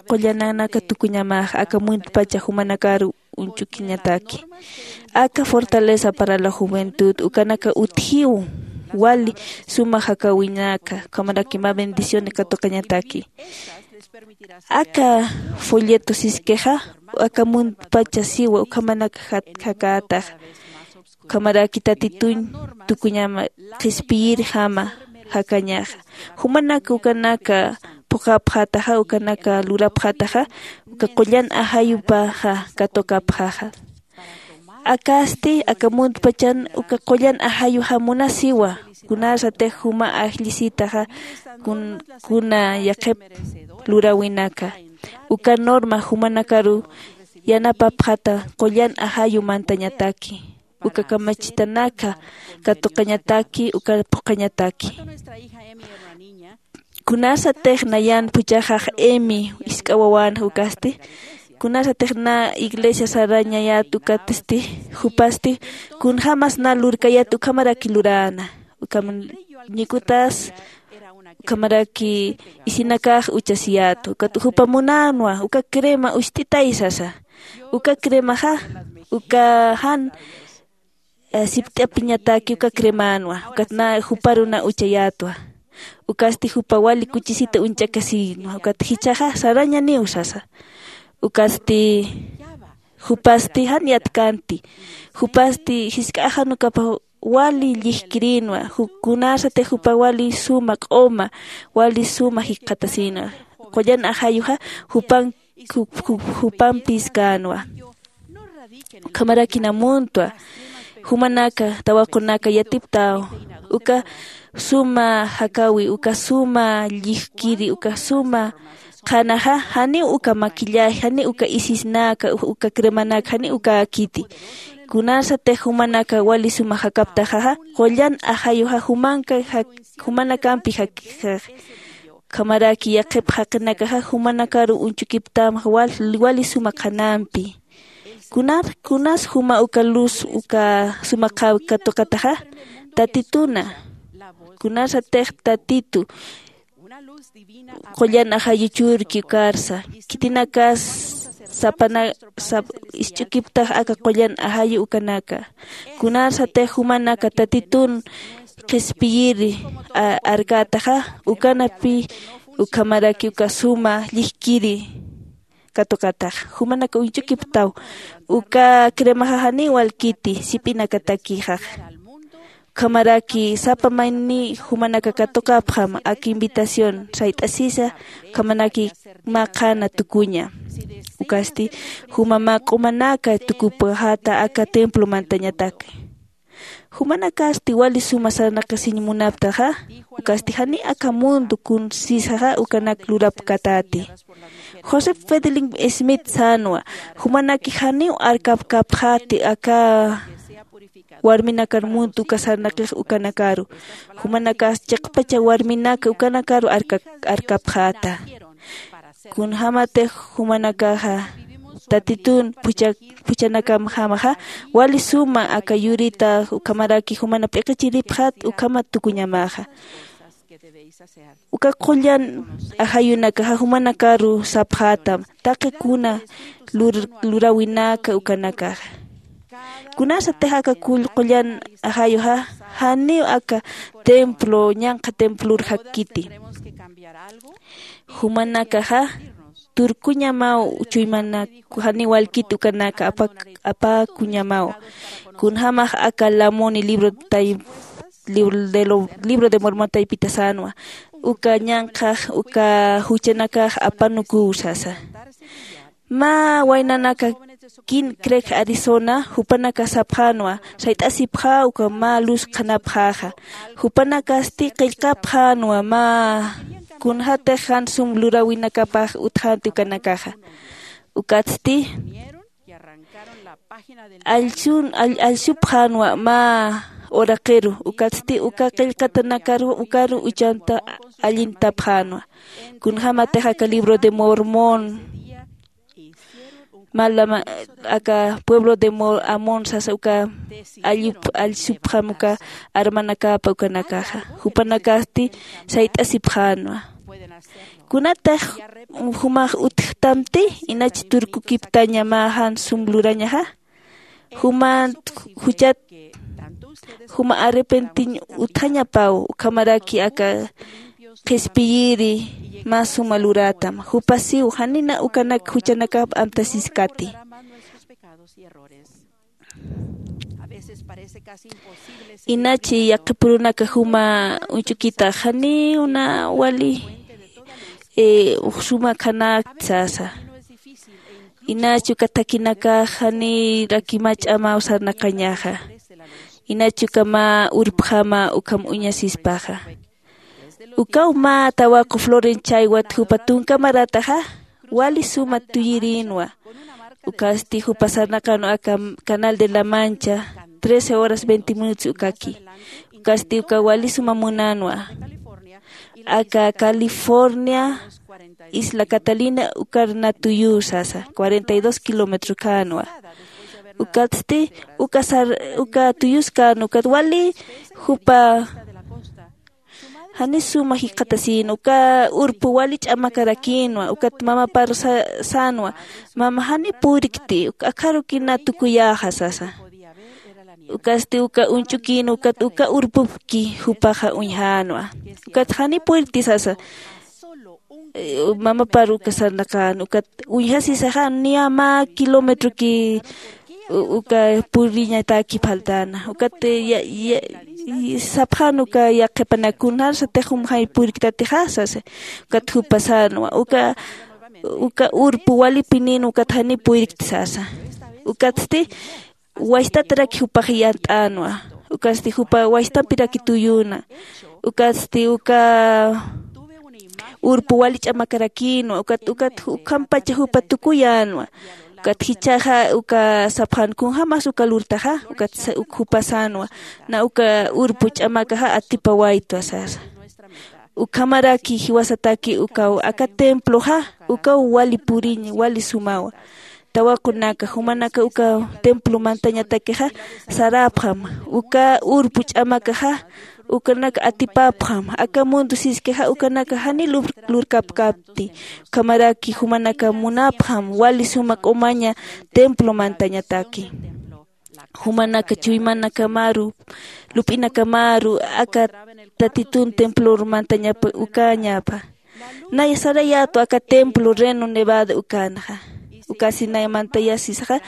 qullananaka tukuñamax aka muntpacha jumanakaru uñch'ukiñataki. Aka fortaleza para la juventud ukanaka utjiw wali suma jakawinaka ukhamaraki mä bendición katuqañataki. Aka folleto siskixa aka muntpacha siwa ukhamanak jakätaxa. Ukhamaraki tatituñ tukuñama qhispiyirjama jakañaxa. Jumanaka ukanaka phuqhapxataxa ukanaka lurapxataxa uka qullan ajayupaxa katukapxaxa. Akasti aka muntpachan uka qullan ajayuxa munasiwa kunasatix juma ajllisitaxa kuna yaqhip luräwinaka. Uka norma jumanakaru yanapapxata qullan ajayu mantañataki uka kamachitanaka katuqañataki uka phuqhañataki. Kunasatix nayan phuchhaxax emi isk'a wawan ukasti kunasatix na iglesia sarañayät ukatsti jupasti kunjämas na lurkayät ukhamaraki luräna. Ukham ñikutas ukhamaraki isinakax uchasiyätwa ukat jupa munänwa uka crema ucht'itay sasa. Uka cremaxa uka jan sipt'apiñataki uka cremänwa ukat na juparu na uchayätwa. Ukasti jupa wali kuchisita uñch'akasïnwa ukat jichhaxa sarañaniw sasa. Ukasti jupasti jan yatkänti jupasti jisk'axan ukapa wali llijkirïnwa kunasatix jupa wali suma q'uma wali suma jikxatasïnwa. Qullan ajayuxa jupan jupampis känwa. Ukhamaraki namuntwa jumanaka tawaqunaka yatiptaw uka suma jakäwi uka suma llijkiri uka suma qhanaxa janiw uka maquillaje janiw uka isisnaka uka cremanaka janiw uka akiti. Kunasatix jumanaka wali suma jakaptaxaxa qullan ajayuxa jumanakampi jakixaxa. Ukhamaraki yaqhip jaqinakaxa jumanakaru uñchukiptamax wali suma qhanampi. Kunar kunas juma uka luz uka sumaqaw katuqataxa? Tatituna. Kunasatix tatitu qullan ajayu churki ukarsa, khitinakas sapana isch'ukiptax aka qullan ajayu ukanaka. Kunarsatix jumanaka tatitun qhispiyiri arkätaxa, ukanapi ukhamaraki uka suma llijkiri katuqatax. Jumanaka uñch'ukiptaw uka cremaxa janiw walkiti sip'inakatakixax. Ukhamaraki sapa mayni jumanaka katuqapxam aka invitación sayt'asisa, ukhamaraki mä qhana tukuña. Ukasti juma mä q'umanaka tukupxäta aka templo mantañataki. Jumanakasti wali suma sarnaqasiñ munaptaxa, ukasti janiw aka mundo kunsisaxa ukanak lurapkatäti. Joseph Fielding Smith sänwa, jumanaki janiw arkapkapxäti aka warminakar mundo uka sarnaqix ukanakaru. Jumanakas chiqpacha warminaka ukanakaru arkapxäta. Kunjämatix jumanakaxa tatitun phuchanakamjamaxa wali suma aka yurita ukhamaraki jumana p'iqichiripxät ukhamat tukuñamaxa. Uka qullan ajayunakaxa jumanakaru sapxätam taqi kuna lurawinaka ukanakaxa. Kunasatix aka qullan ajayuxa janiw aka templo ñanqha templor jakkiti. Jumanakaxa turkuñamaw, chuymanak janiw walkit ukanaka apakuñamaw. Kunjämax aka lamoni libro de mormón taypita sänwa, uka ñanqhax uka juchanakax apanukuw sasa. Mä waynanaka kin creek arizona jupanaka sapxänwa, sayt'asipxä uka mä luz qhanapxäxa. Jupanakasti qillqapxänwa mä kunjätix jan sum luräwinakapax utjänti ukanakaxa. Ukatsti allsupxänwa mä uraqiru ukatsti uka qillqatanakaru ukaru uchanta allintapxänwa. Kunjämatix aka libro de mormón mä lama aka pueblo de amón sasa uka allsupxam uka armanakapa ukanakaxa. Jupanakasti sayt'asipxänwa. Kunatix jumax utjtamti inach turkukiptaña mä jan sum lurañaxa? Jumat juchat juma arrepentiñ utjañapaw ukhamaraki aka qhispiyiri mä suma lurätam. Jupasiw janina ukanak juchanakap amtasiskati. Inach yaqhipurunaka juma uñch'ukitax janiw na wali suma khanakti sasa. Inach uka thakinakax janiraki mä ch'amaw sarnaqañaxa. Inach uka mä urpjama ukham uñasispaxa. Ukaw mä tawaqu floren chaywat jupa tunka marataxa wali suma tuyirïnwa. Ukasti jupa sarnaqänwa aka canal de la mancha trece horas veinte minutos ukaki. Ukasti uka wali suma munänwa. Aka california isla catalina ukar na tuyü sasa cuarenta y dos kilómetro känwa. Ukatsti uka tuyuskän ukat wali jupa jani suma jikxatasïn uka urpu wali ch'amakarakïnwa ukat mamapar sänwa, mama jani purikti akharuki na tukuyäxa sasa. Ukasti uka uñch'ukïn ukat uka urpupki jupaxa uñjänwa. Ukat jani purikti sasa. Mamapar uka sarnaqän ukat uñjasisaxa niya mä kilometroki uka puriñataki faltana ukat sapxan uka yaqhipanak kunarsatix jumjay puriktatixa sasa. Ukat jupa sänwa uka uka urpu walipinïn ukat jani purikti sasa. Ukatsti waystataraki jupax yant'änwa. Ukatsti jupa waystampiraki tuyüna. Ukatsti uka urpu wali ch'amakarakïnwa ukat ukat ukhampacha jupa tukuyänwa. Ukat jichhaxa uka sapxan kunjämas uka lurtaxa ukat jupa sänwa, na uka urpu ch'amakaxa atipawaytwa sasa. Ukhamaraki jiwasataki ukaw aka temploxa ukaw wali puriñ wali sumawa. tawaqunaka, jumanaka uka templo mantañatakixa saräpxam, uka urpu ch'amakaxa ukanaka atipapxam, aka mundo siskixa ukanaka jani lur-, lurkapkapti, ukhamaraki jumanaka munapxam wali suma q'umaña templo mantañataki. Jumanaka chuymanakamaru, lup'inakamaru aka Tatitun templor mantañapa ukañapa. Nay sarayätwa aka templo Reno Nevada ukanxa. Ukasi nay mantayasisaxa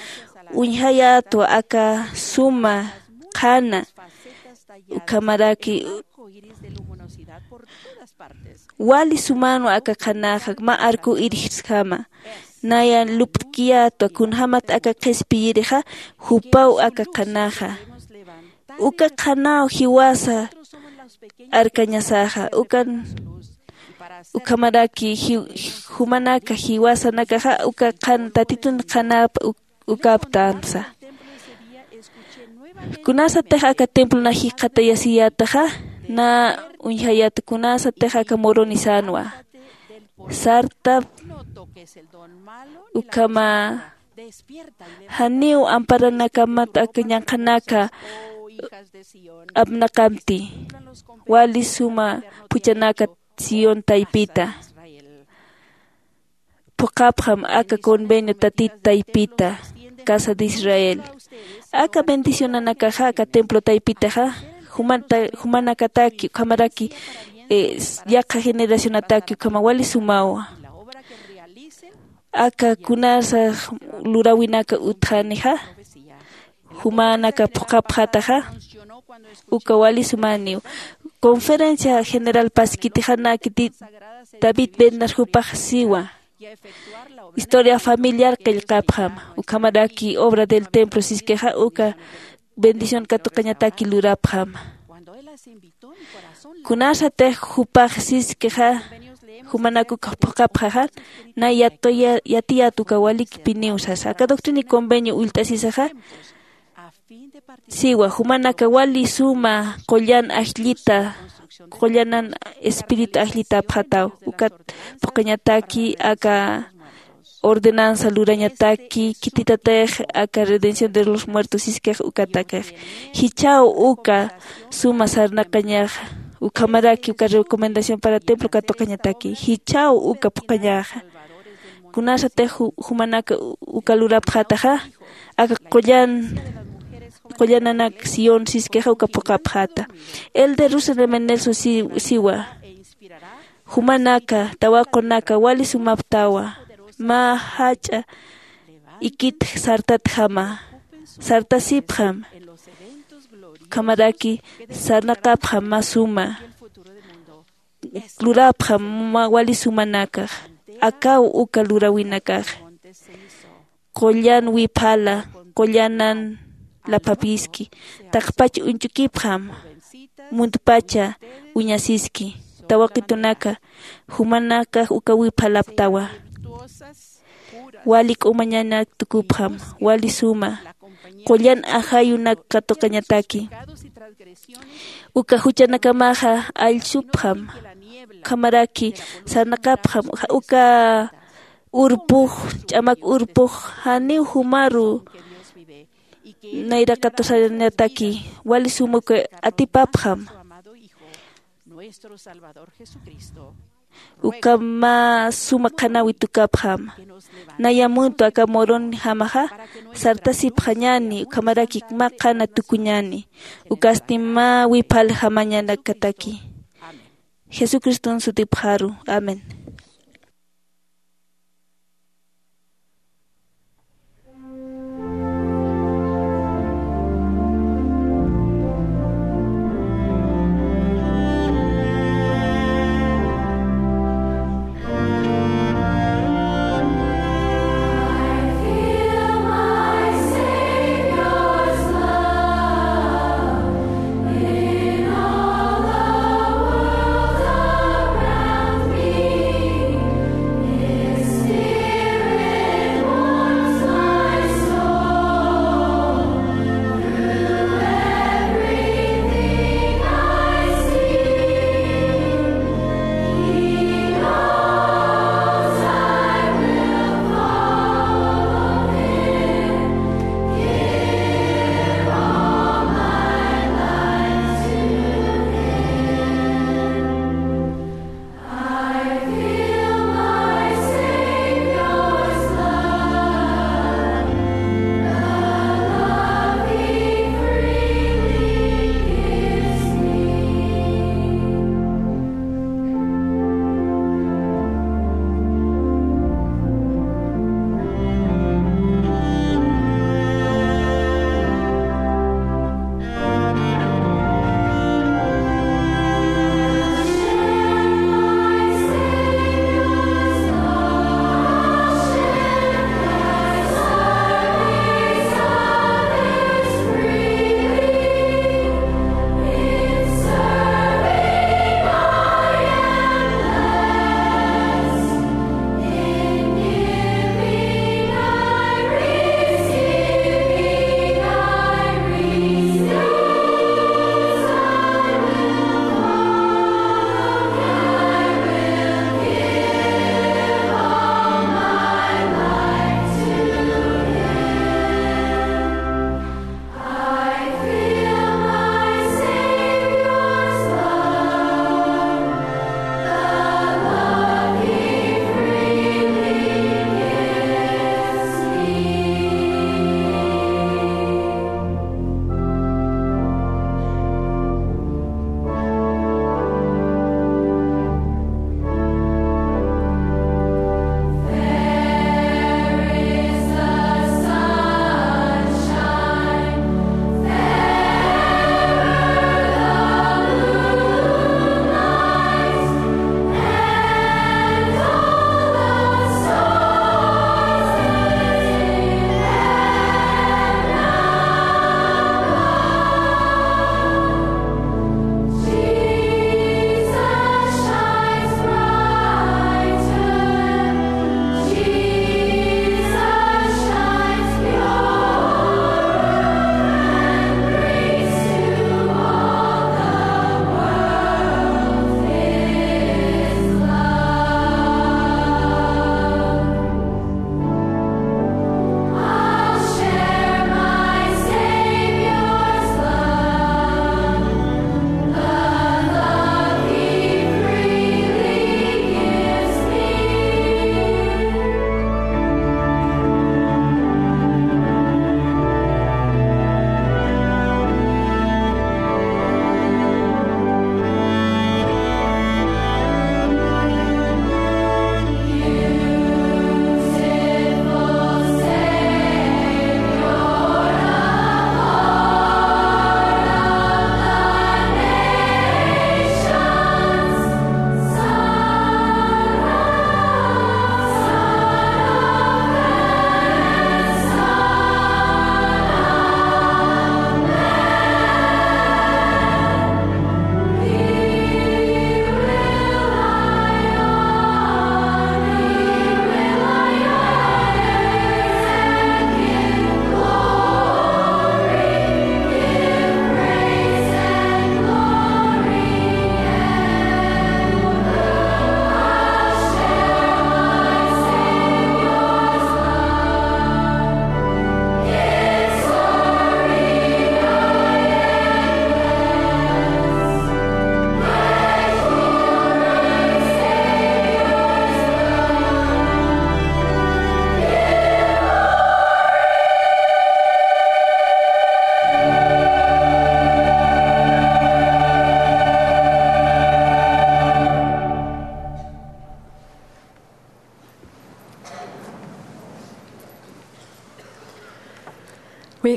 uñjayätwa aka suma qhana, ukhamaraki wali sumanwa aka qhanaxa mä arco irisjama. Nayan lup'kiyätwa kunjämat aka qhispiyirixa jupaw aka qhanaxa. Uka qhanaw jiwasa arkañasaxa, ukan ukhamaraki ji-, jumanaka jiwasanakaxa uka qhan Tatitun qhanap uk-, ukaptansa. Kunasatix aka templo na jikxatayasiyätaxa, na uñjayäta kunasatix aka Moroni sänwa. Sartap ukhama janiw amparanakamat aka ñanqhanaka apnaqamti, wali suma phuchhanaka Sión taypita. Phuqhapxam aka convenio Tatit taypita, casa de Israel. Aka bendicionanakaxa aka templo taypitaxa jumanta-, jumanakataki ukhamaraki, eh, yaqha generacionataki ukhama wali sumawa. Aka kunasa luräwinaka utjanixa, jumanaka phuqhapxätaxa uka wali sumaniw. Conferencia General paskitixanakiti David Bednar jupax siwa. Historia familiar qillqapxam, ukhamaraki obra del templo siskixa uka bendición katuqañataki lurapxam. Kunasatix jupax siskixa, jumanak uka phuqhapxaxa, na yatuya-, yatiyät uka walikpiniw sasa. Aka Doctrina y Convenio ullt'asisaxa siwa, jumanaka wali suma qullan ajllita, qullanan espíritu ajllitapxataw, ukat phuqhañataki aka ordenanza lurañataki, khititatix aka redención de los muertos siskix ukatakix. Jichhaw uka suma sarnaqañaxa, ukhamaraki uka recomendación para templo katuqañataki, jichhaw uka phuqhañaxa. Kunasatix ju-, jumanaka u-, uka lurapxätaxa, aka qullan, qullananak Sión siskixa uka phuqhapxäta. Elder Russell M. Nelson si-, siwa. Jumanaka, tawaqunaka, wali sumaptawa. Mä jach'a ikit sartatjama. Sartasipxam. Ukhamaraki sarnaqapxam mä suma. Lurapxam mä wali sumanakax. Akaw uka luräwinakax. Qullan wiphala, qullanan laphapiski, taqpach uñch'ukipxam, muntpacha uñasiski, tawaqitunaka, jumanakax uka wiphalaptawa. Wali q'umañanak tukupxam, wali suma, qullan ajayunak katuqañataki. Uka juchanakamaxa allsupxam, ukhamaraki sarnaqapxam, uka urpux, ch'amak urpux, janiw jumaru nayraqatusarañataki, wali sumuk atipapxam. Uka mä suma qhanawi tukapxam. Naya muntwa aka Moronjamaxa, sartasipxañäni, ukhamaraki mä qhana tukuñäni, ukasti mä wiphaljamañanakataki. Jesucriston sutipxaru. Amén.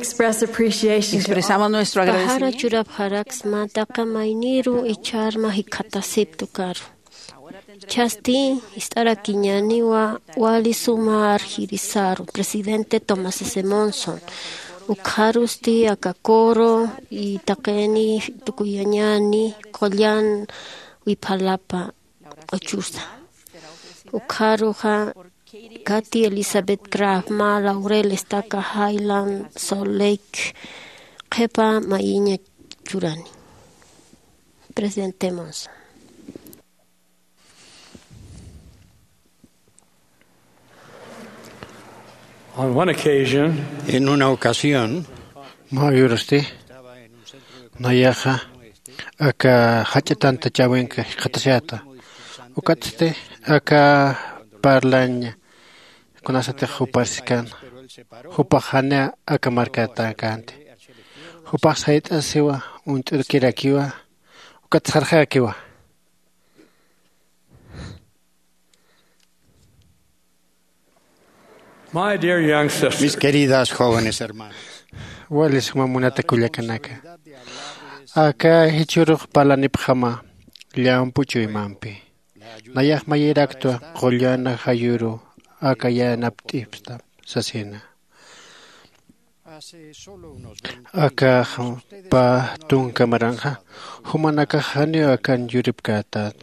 Express appreciation to all. Expresamos nuestro agradecimiento. Pajara churapxaraksma taqi mayniru icharma jikxatasipta ukaru. Chasti ist'arakiñäniwa wali suma arjirisaru presidente Thomas S. Monson. Ukxarusti aka coro y taqini tukuyañäni qullan wiphalapa q'uchusa. Ukxaruxa Kathy Elizabeth Kraft mä Laurel Estaca Highland Salt Lake qhipa mayiña churani. Presidente Monson. On one occasion, en una ocasión, mä uyurusti nayaxa aka jach'a tantachäwinka jikxatasiyäta. Ukatsti aka parlaña kunasatix juparskan, jupax janiw aka markatäkänti. Jupax sayt'asiwa, uñt'urkirakiwa, ukat sarxarakiwa. My dear young sisters, mis queridas jóvenes hermanas, wali suma munata kullakanaka, aka jichhürux parlanipxama llamp'u chuymampi. Nayax mayiraktwa qullana jayüru aka yanapt'ipxta sasina. Akax pä tunka maranxa jumanakax janiw akan yuripkätät.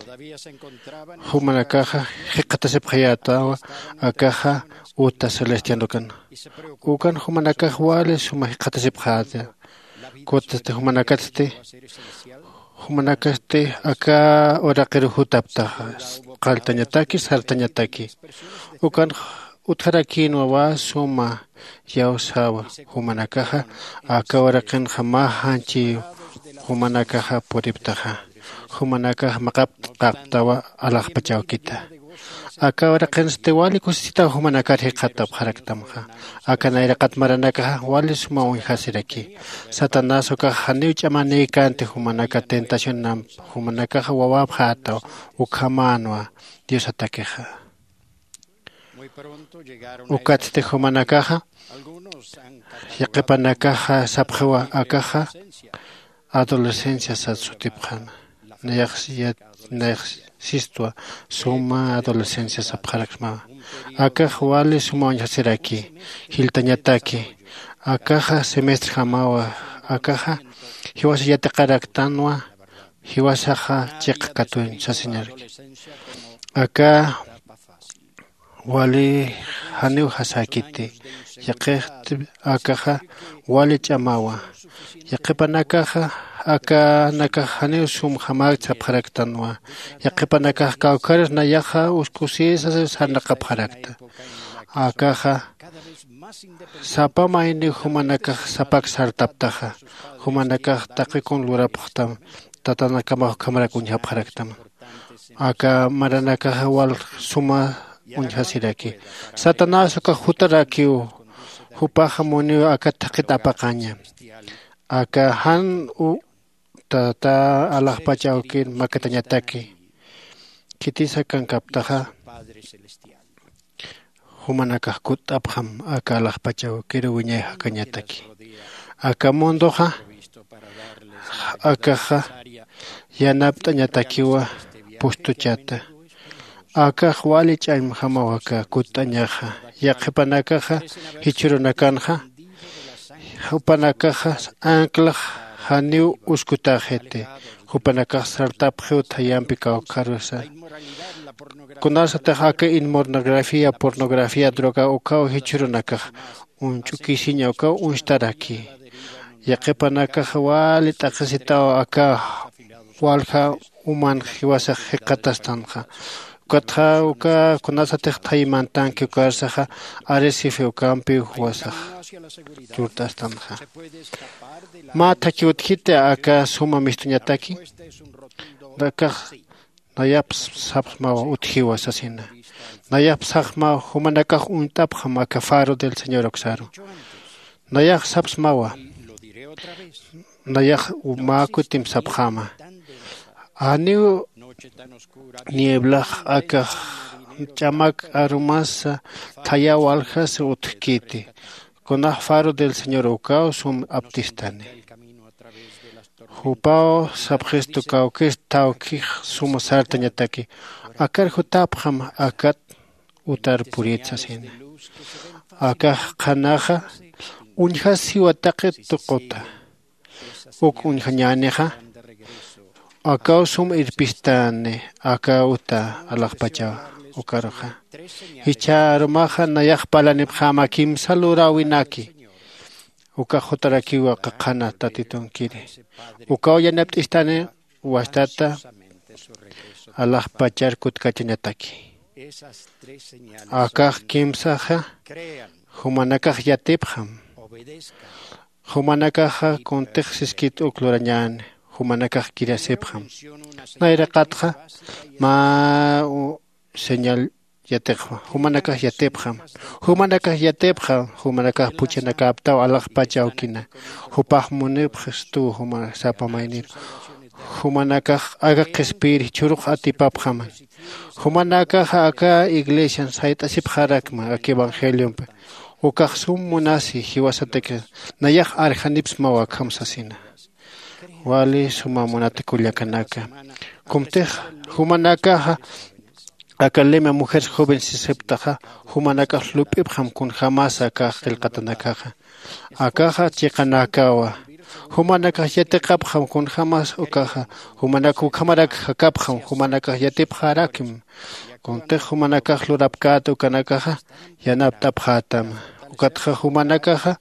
Jumanakaxa jikxatasipxayätawa akaxa uta celestial ukan. Ukan jumanakax wali suma jikxatasipxäta. Kutasti jumanakatsti, jumanakasti aka uraqiru jutaptaxa, qalltañataki, sartañataki. Ukan utjarakïnwa suma iyawsawa, jumanakaxa aka uraqinxa mä janchi jumanakaxa puriptaxa, jumanakax maqapt'aptawa alaxpach awkita. Aka uraqinsti wali kusisitaw jumanakar jikxatapxaraktamxa. Aka nayraqat maranakaxa wali suma uñjasiraki. Satanás ukax janiw ch'amanïkänti jumanaka tentacionamp, jumanakaxa wawapxätaw, ukhamänwa Diosatakixa. Ukatsti jumanakaxa yaqhipanakaxa sapxiwa akaxa adolescencia sat sutipxäna. Nayax yat-, nayax sistwa suma adolescencia sapxaraksmawa. Akax wali suma uñjasiraki, jiltañataki. Akaxa semestrijamawa, akaxa jiwasa yatiqaraktanwa, jiwasaxa chiqa katuñ sasiñaraki. Aka wali janiw jasäkiti, yaqhixt akaxa wali ch'amawa. Yaqhipanakaxa akanakax janiw sumjamäkt sapxaraktanwa. Yaqhipanakax kawkharus nayaxa uskusïsa sarnaqapxarakta. Akaxa sapa mayniw jumanakax sapak sartaptaxa, jumanakax taqi kun lurapxtam, tatanakamax ukhamarak uñjapxaraktam. Aka maranakaxa wal suma uñjasiraki. Satanás ukax jutarakiw, jupaxa muniw aka thaqhit apaqaña. Aka jan u-, tata alaxpach awkir makatañataki. Khitis akankaptaxa jumanakax kutt'apxam aka alaxpach awkiru wiñay jakañataki. Aka mundoxa akaxa yanapt'añatakiwa pustuchata. Akax wali ch'añjamaw aka kutt'añaxa. Yaqhipanakaxa jichhürunakanxa jupanakaxa anclax janiw uskutaxiti. Jupanakax sartapxiw thayampi kawkharusa. Kunasatix aka inmornografía, pornografía, droga ukaw jichhürunakax uñch'ukisiña ukaw uñstaraki. Yaqhipanakaxa wali t'aqhisitaw aka walja uman jiwasax jikxatastanxa. Ukatxa uka kunasatix thayimantanki ukarsaxa arrecife ukampiw jiwasax churt'astanxa. Mä thakhi utjiti aka suma mistuñataki. Akax nayap sapxmaw utjiwa sasina. Nayap sapxmaw jumanakax uñt'apxam aka faro del Señor uksaru. Nayax sapxmawa. Nayax mä kutim sapxäma. Janiw nieblax akax ch'amak arumasa thaya waljasa utjkiti. Kunax faro del señor ukaw sum aptistani. Jupaw sapxistu kawkis tawkix suma sartañataki. Akar jutapxam akat utar purit sasina. Akax qhanaxa uñjasiwa taqi tuquta. Uk uñjañänixa akaw sum irpistani. Aka uta alaxpachaw ukaruxa. Jichharumaxa nayax parlanipxäma kimsa luräwinaki. Ukax jutarakiwa qaqhana tatitunkiri. Ukaw yanapt'istani wastata alaxpachar kutkachañataki. Akax kimsaxa jumanakax yatipxam. Jumanakaxa kuntix siskit uk lurañän jumanakax kirasipxam. Nayraqatxa mä señal yatiqxwa. Jumanakax yatipxam. Jumanakax yatipxam. Jumanakax puchhanakäptaw alaxpach awkina. Jupax munipxistuw juma sapa maynir. Jumanakax aka qhispiyir jichhürux atipapxaman. Jumanakaxa aka iglesian sayt'asipxarakma aka evangeliompi. Ukax sum munasi jiwasatakix nayax arjanipsmaw akham sasina. Wali suma munata kullakanaka. Kumtix jumanakaxa aka lema mujeres joven sisiptaxa jumanakax lup'ipxam kunjämas akax qillqatanakaxa. Akaxa chiqanakawa. Jumanakax yatiqapxam kunjämas ukaxa. Jumanak ukhamarak jakapxam jumanakax yatipxarakim. Kuntix jumanakax lurapkäta ukanakaxa yanapt'apxätam. Ukatxa jumanakaxa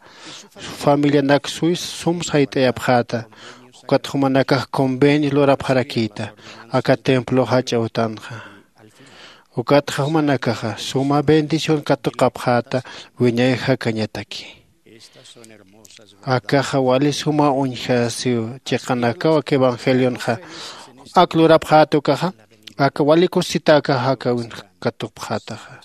familianak sum sayt'ayapxäta. Ukat jumanakax convenio lurapxarakïta aka templo jach'a utanxa. Ukatxa jumanakaxa suma bendición katuqapxäta wiñay jakañataki. Akaxa wali suma uñjasiw chiqanakaw aka evangelionxa. Ak lurapxäta ukaxa aka wali kusisitäkax aka uñj katupxätaxa.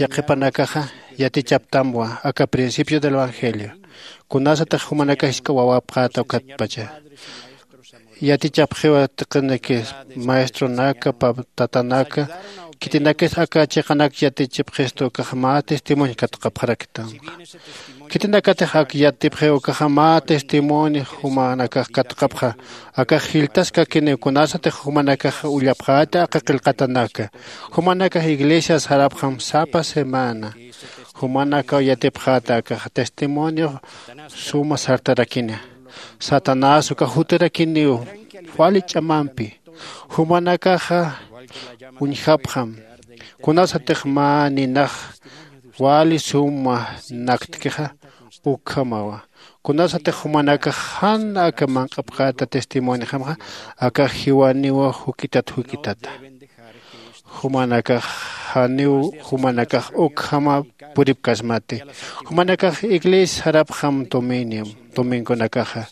Yaqhipanakaxa yatichaptamwa aka principio del evangelio. Kunasatix jumanakax jisk'a wawapxäta ukatpacha yatichapxiwa tiqinakis maestronaka tatanaka khitinakis aka chiqanak yatichipxistu ukaxa mä testimonio katuqapxaraktanxa. Khitinakatix ak yatipxiw ukaxa mä testimonio jumanakax katuqapxa. Akax jilltaskakiniw kunasatix jumanakax ullapxäta aka qillqatanaka. Jumanakax iglesia sarapxam sapa semana. Jumanakaw yatipxäta akax testimonio suma sartarakina. Satanás uka jutarakiniw wali ch'amampi. Jumanakaxa uñjapxam kunasatix mä ninax wali suma naktkixa ukhamawa. Kunasatix jumanakax jan aka manq'apxäta testimonixamxa akax jiwaniwa juk'itat juk'itata. Jumanakax janiw jumanakax ukhama puripkasmati. Jumanakax iglesia sarapxam dominium domingonakaxa.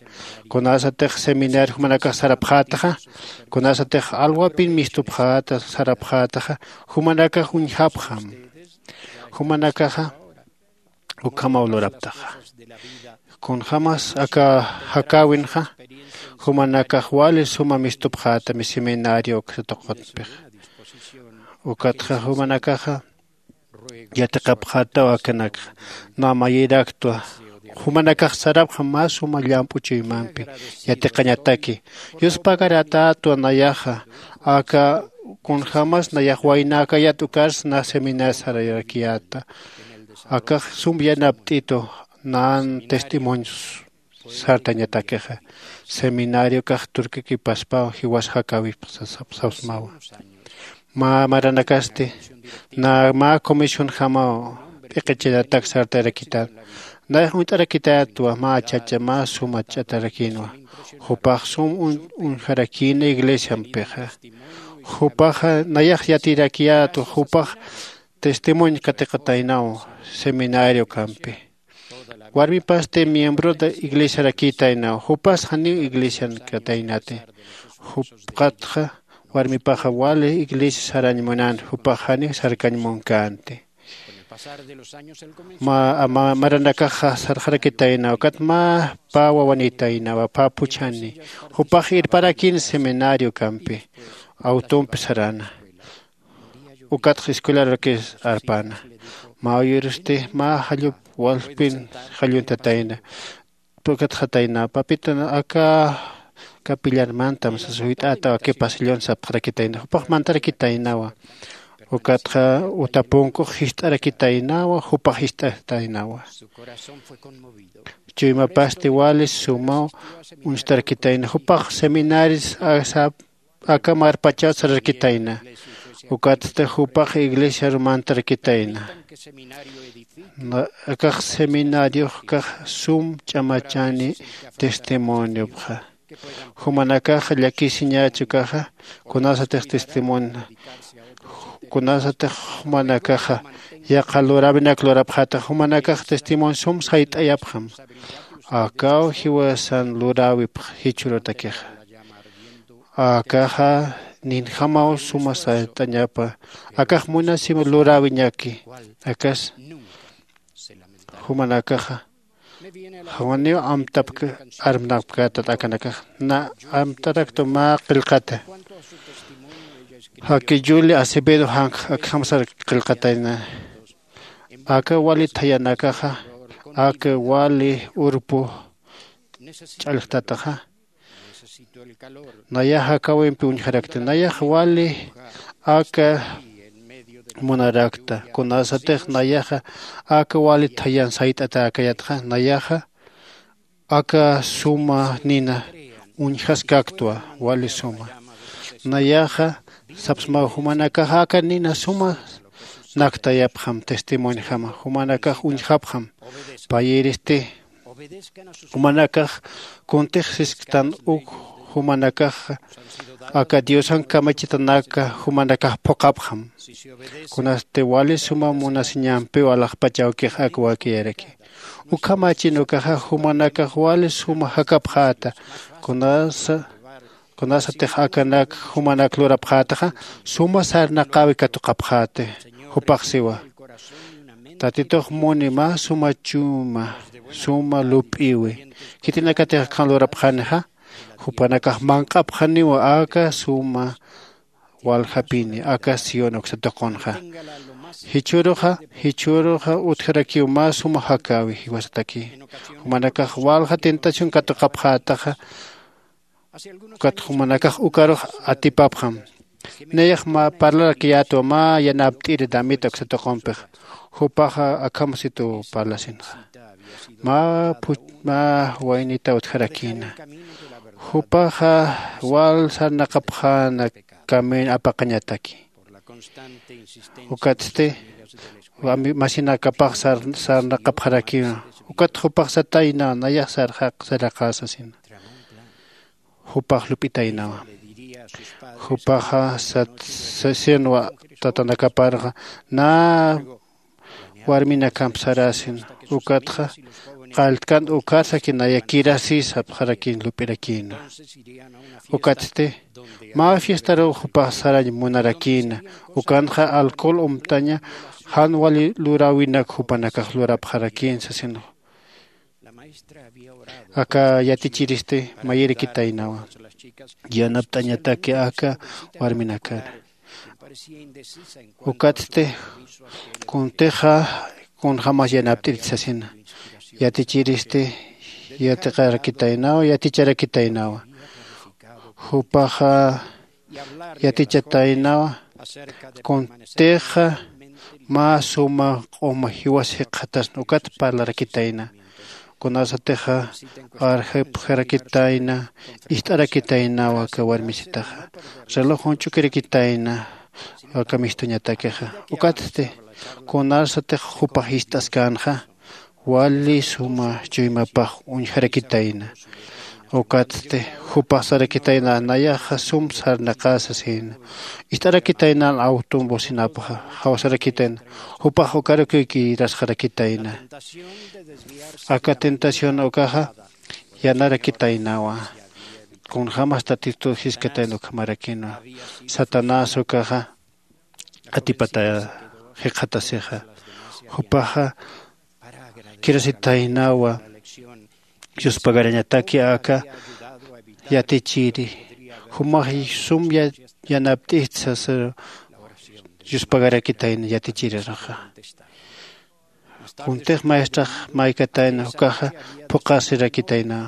Kunasatix seminario jumanakax sarapxätaxa kunasatix alwapin mistupxäta sarapxätaxa jumanakax uñjapxam. Jumanakaxa ukhamaw luraptaxa. Kunjämas aka jakäwinxa jumanakax wali suma mistupxätami seminario uksa tuqutpix. Ukatxa jumanakaxa yatiqapxätaw akanakxa. Nä mayïraktwa jumanakax sarapxam mä suma llamp'u chuymampi yatiqañataki. Yuspagaratätwa nayaxa aka kunjämas nayax waynäkayät ukarsa nä seminario sararakiyäta. Akax sum yanapt'itu nan testimonios sartañatakixa. Seminariokax turkikipaspaw jiwas jakäwipxsapsmawa. Mä maranakasti nä mä comisionjamaw p'iqichinatak sartarakitän. Nayax uñt'arakitätwa mä chacha mä suma ch'atarakïnwa. Jupax sum uñjarakïna iglesiampixa. Jupaxa nayax yatirakiyätwa jupax testimonio katiqataynaw seminario kampi. Warmipasti miembro de iglesiarakïtaynaw jupas janiw iglesiankataynati. Jupkatxa warmipaxa wali iglesia sarañ munan jupax janiw sarkañ munkänti. Mä maranakaxa sarxarakitaynaw ukat mä pä wawanïtaynawa pä puchhani. Jupax irparakïn seminario kampi awtumpi sarana. Ukatxa escuelarakis arpäna. Mä uyuristi mä jallup walpin jalluntatayna. Ukatxatayna papitun aka capillanmantam sas uyt'ata aka pasillon sapxarakitayna jupax mantarakitaynawa. Ukatxa utapunkux jist'arakitaynawa jupax jist'ataynawa. Chuymapasti wali sumaw uñstarakitayna jupax seminaris aka marpachaw sararkitayna. Ukatsti jupax iglesiar mantarakitayna. Akax seminariox kax sum ch'amachani testimoniopxa. Jumanakaxa llakisiñächu kaxa kunasatix testimonio kunasatix jumanakaxa yaqha luräwinak lurapxätax jumanakax testimonio sum sayt'ayapxam. Akaw jiwasan luräwipx jichhürutakixa. Akaxa ninjamaw suma sayt'añapa. Akax munasim luräwiñaki. Akas jumanakaxa jawaniw amtapk armnapkätat akanakax na amtaraktu mä qillqata. Jaki yuli acevedo jank akjamsar qillqatayna. Aka wali thayanakaxa aka wali urpu ch'allxtataxa. Nayax akawimpi uñjarakta nayax wali aka munarakta kunasatix nayaxa aka wali thayan sayt'atäkayatxa nayaxa aka suma nina uñjaskaktwa. Wali suma nayaxa sapsmaw jumanakax aka nina suma naktayapxam testimonjama jumanakax uñjapxam. Payïristi jumanakax kuntix sisktan uk jumanakax aka diosan kamachitanaka jumanakax phuqhapxam. Kunasti wali suma munasiñampiw alaxpach awkix ak wakiyaraki. Ukhamächin ukaxa jumanakax wali suma jakapxäta kunasa kunasatix akanak jumanak lurapxätaxa suma sarnaqäwi katuqapxäti. Jupax siwa tatitux muni mä suma chuma suma lup'iwi khitinakatix akhan lurapxanixa jupanakax manq'apxaniwa aka suma waljapini aka sión uksa tuqunxa. Jichhüruxa jichhüruxa utjarakiw mä suma jakäwi jiwasataki jumanakax walja tentación katuqapxätaxa. Ukat jumanakax ukarux atipapxam. Nayax mä parlarakiyätwa mä yanapt'iri david uksa tuqumpix jupaxa akham situw parlasinxa. Mä phuch mä waynita utjarakïna. Jupaxa wal sarnaqapxäna camin apaqañataki. Ukatsti masinakapax sarnaqapxarakïna. Ukat jupax satayna nayax sarxaq saraqä sasina. Jupax lup'itaynawa. Jupaxa sat sasiyanwa tatanakaparxa nä warminakamp saräsin. Ukatxa qalltkan ukarsaki nayakirasi sapxarakin lup'irakïna. Ukatsti mä fiestaruw jupax sarañ munarakïna. Ukanxa alcohol umtaña jan wali luräwinak jupanakax lurapxarakïn sasin. Aka yatichiristi mayirakitaynawa yanapt'añataki aka warminakar. Ukatsti kuntixa kunjämas yanapt'irit sasina. Yatichiristi yatiqarakitaynawa yaticharakitaynawa. Jupaxa yatichataynawa kuntixa mä suma q'uma jiwas jikxatasna ukat parlarakitayna. Kunasatixa arjapxarakitayna ist'arakitaynawa aka warmisitaxa reloj junch'ukirakitayna. Aka mistuñatakixa ukatsti kunasatix jupax jist'askänxa wali suma chuymapax uñjarakitayna. Ukatsti jupax sarakitayna nayaxa sum sarnaqä sasïna. Ist'arakitayna awtum bocinapxa jawsarakitayna. Jupax ukarukïkirasxarakitayna. Aka tentación ukaxa yanarakitaynawa. Kunjämas tatitut jiskatayna ukhamarakïnwa. Satanás ukaxa atipata jikxatasixa. Jupaxa kirasitaynawa yuspagarañataki aka yatichiri. Jumax sum yanapt'ist sasa. Yuspagarakitayna yatichiriraxa. Kuntix maestrax maykatayna ukaxa phuqasirakitayna.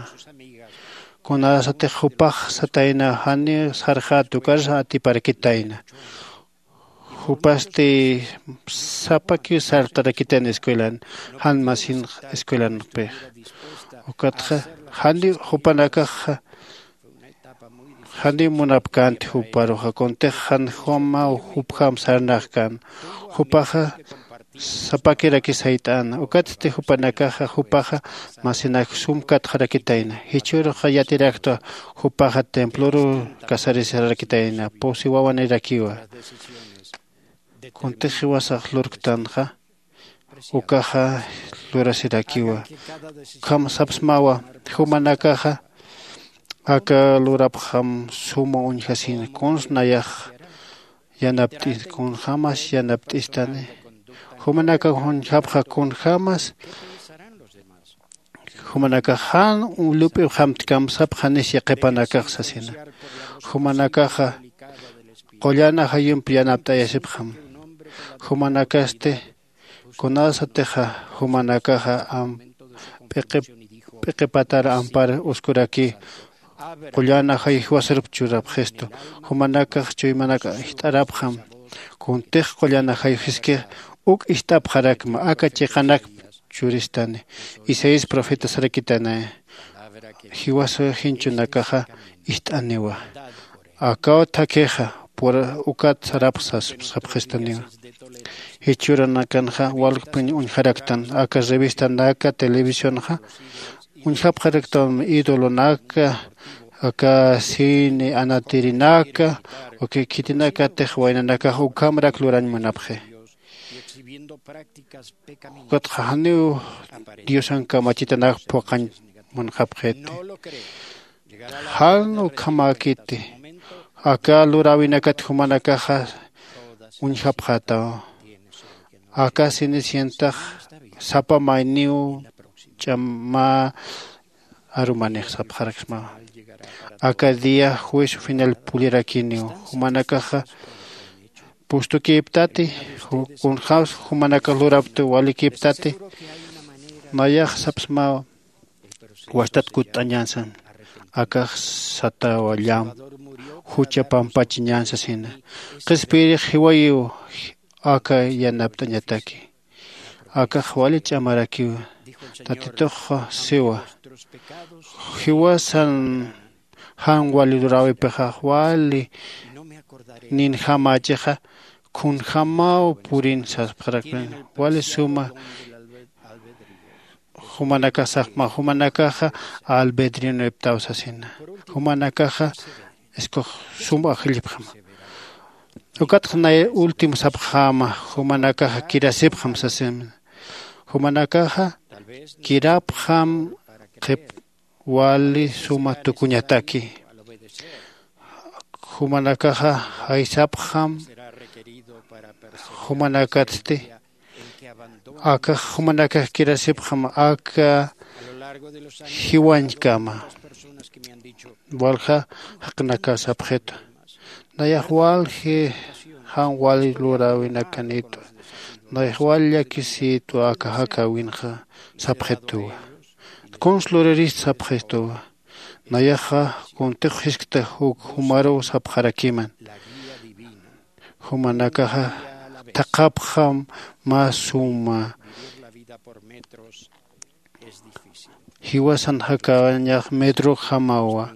Kunasatix jupax satayna jani sarxat ukarsa atiparakitayna. Jupasti sapakiw sartarakitayna escuelan jan masin escuelanpix. Ukatxa jani jupanakaxa janiw munapkänti juparuxa kuntix janjuma jupjam sarnaxkän. Jupaxa sapakirakis jayt'äna ukatsti jupanakaxa jupaxa masinak sum katxarakitayna. Jichhüruxa yatiraktwa jupaxa temploruw kasarisirakitayna pusi wawanirakiwa. Kuntix jiwasax lurktanxa ukaxa lurasirakiwa. Ukham sapsmawa jumanakaxa aka lurapxam suma uñjasina kuns nayax yanapt'is kunjämas yanapt'istani. Jumanakax uñjapxa kunjämas jumanakax jan lup'ipxamtkam sapxanis yaqhipanakax sasina. Jumanakaxa qullan ajayump yanapt'ayasipxam. Jumanakasti kunasatixa jumanakaxa am p'iqip p'iqipatar ampar uskuraki qullan ajay jiwasarupchurapxistu. Jumanakax chuymanak jist'arapxam. Kuntix qullan ajay jiskix uk ist'apxarakma aka chiqanak churistani. Isaías profeta sarakitani jiwasaw jinchunakaxa ist'aniwa. Akaw thakhixa pura ukat sarapxsas sapxistaniwa. Jichhüranakanxa walkpin uñjaraktan aka revistanaka televisionxa uñjapxaraktan idolonaka aka cine anatirinaka uka khitinakatix waynanakax ukhamrak lurañ munapxi. Ukatxa janiw diosan kamachitanak phuqañ munxapxiti. Jan ukhamäkiti aka luräwinakat jumanakaxa uñjapxätaw. Aka cenicientax sapa mayniw ch'amä arumanix sapxaraksmawa. Aka día juicio final pullirakiniw jumanakaxa pustukïptati kunjämsa jumanakax lurapkti walikïptati. Nayax sapsmawa wastat kutt'añänsa akax satawa llamp jucha pampachiñän sasina. Qhispiyirix jiwayiw aka yanapt'añataki akax wali ch'amarakiwa. Tatitux siwa jiwasan jan wali luräwipixa wali ninjamächixa kunjämaw purin sapxarakpin. Wali suma jumanakax sapxma jumanakaxa albedrioniptaw sasina. Jumanakaxa escoge sum ajillipxama. Ukatxa nay último sapxäma jumanakaxa kirasipxam sasina. Jumanakaxa kirapxam qhip wali suma tukuñataki. Jumanakaxa jaysapxam jumanakatsti akax jumanakax kirasipxam aka jiwañkama. Walja jaqinaka sapxitu nayax walji jan wali luräwinakanïtwa. Nayax wal llakisïtwa aka jakäwinxa sapxituwa. Kuns lurarist sapxistuwa. Nayaxa kuntix jiskta juk jumaruw sapxarakiman. Jumanakaxa thaqhapxam mä suma. Jiwasan jakäñax metrojamawa.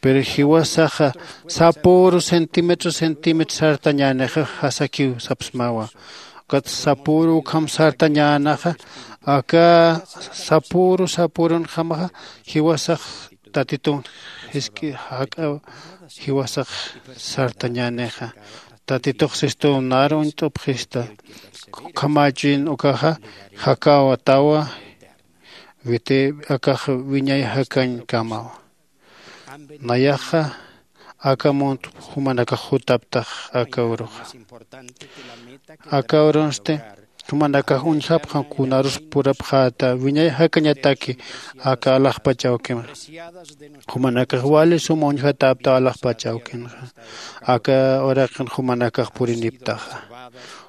Pero jiwasaxa sapüru centímetro centímetro sartañänixa jasakiw sapsmawa. Ukat sapüru ukham sartañänaxa aka sapüru sapürunjamaxa jiwasax tatitun jisk'i jak'a jiwasax sartañänixa. Tatitux sistuw nar uñt'upxista. Ukhamächun ukaxa jakäwatawa witi akax wiñay jakañkamawa. Nayaxa aka munt jumanakax jutaptax aka uruxa. Aka urunsti Jumanakax uñjapxam kunarus purapxäta wiñay jakañataki aka alaxpach awkinxa. Jumanakax wali suma uñjatäptaw alaxpach awkinxa. Aka uraqin jumanakax puriniptaxa.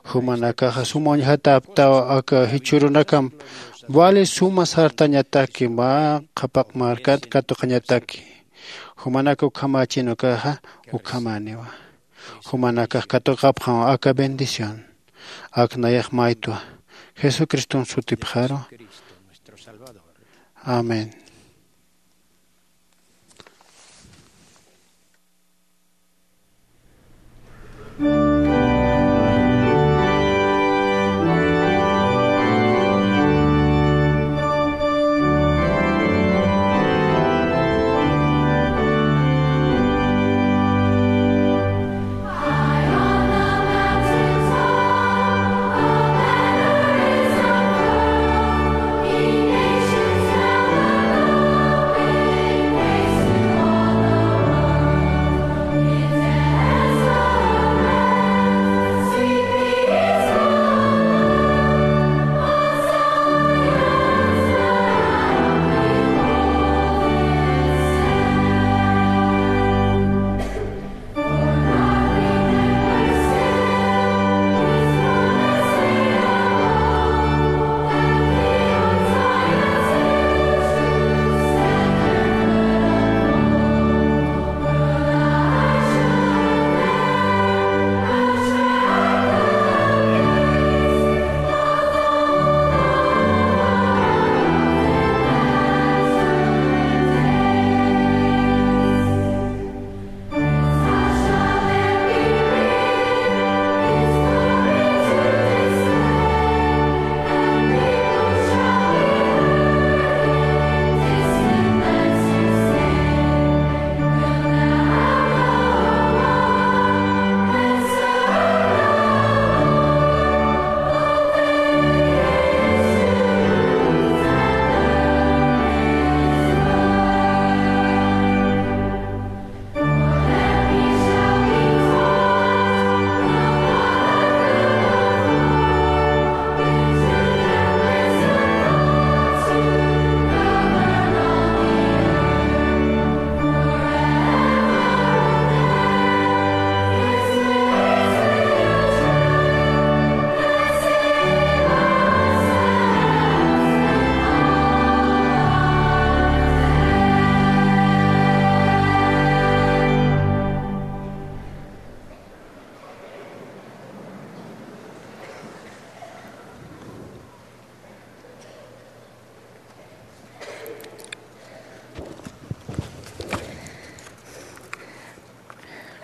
Jumanakaxa suma uñjatäptaw aka jichhürunakamp wali suma sartañataki mä qhapaq markat katuqañataki. Jumanaka ukhamächin ukaxa ukhamäniwa. Jumanakax katuqapxam aka bendición. Ak nayax maytwa jesucriston sutipxaru. Amén.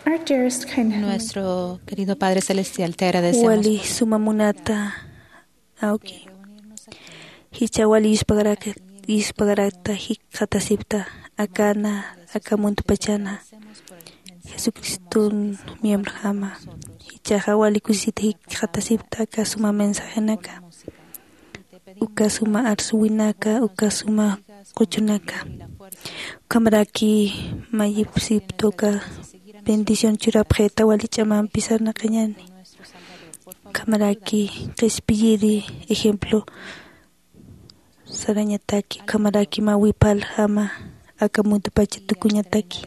Our dearest kind heavenly Nuestro querido Padre Celestial, te agradecemos. Wali suma munata awki, jichha wali yuspagarak, yuspagarakta jikxatasipta akana, aka muntupachana, Jesucriston miembrojama. Jichhaxa wali kusisita jikxatasipta aka suma mensajenaka, uka suma arsuwinaka, uka suma quchunaka. Ukhamaraki mayipsipta uka bendición churapxita wali ch'amampi sarnaqañani. Ukhamaraki qhispiyiri ejemplo sarañataki, ukhamaraki mä wiphaljama aka muntupacha tukuñataki.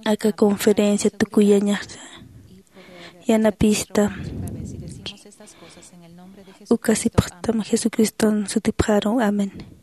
Aka conferencia tukuyañaxa yanapista. Uka sipxtam Jesucriston sutipxaru. Amén.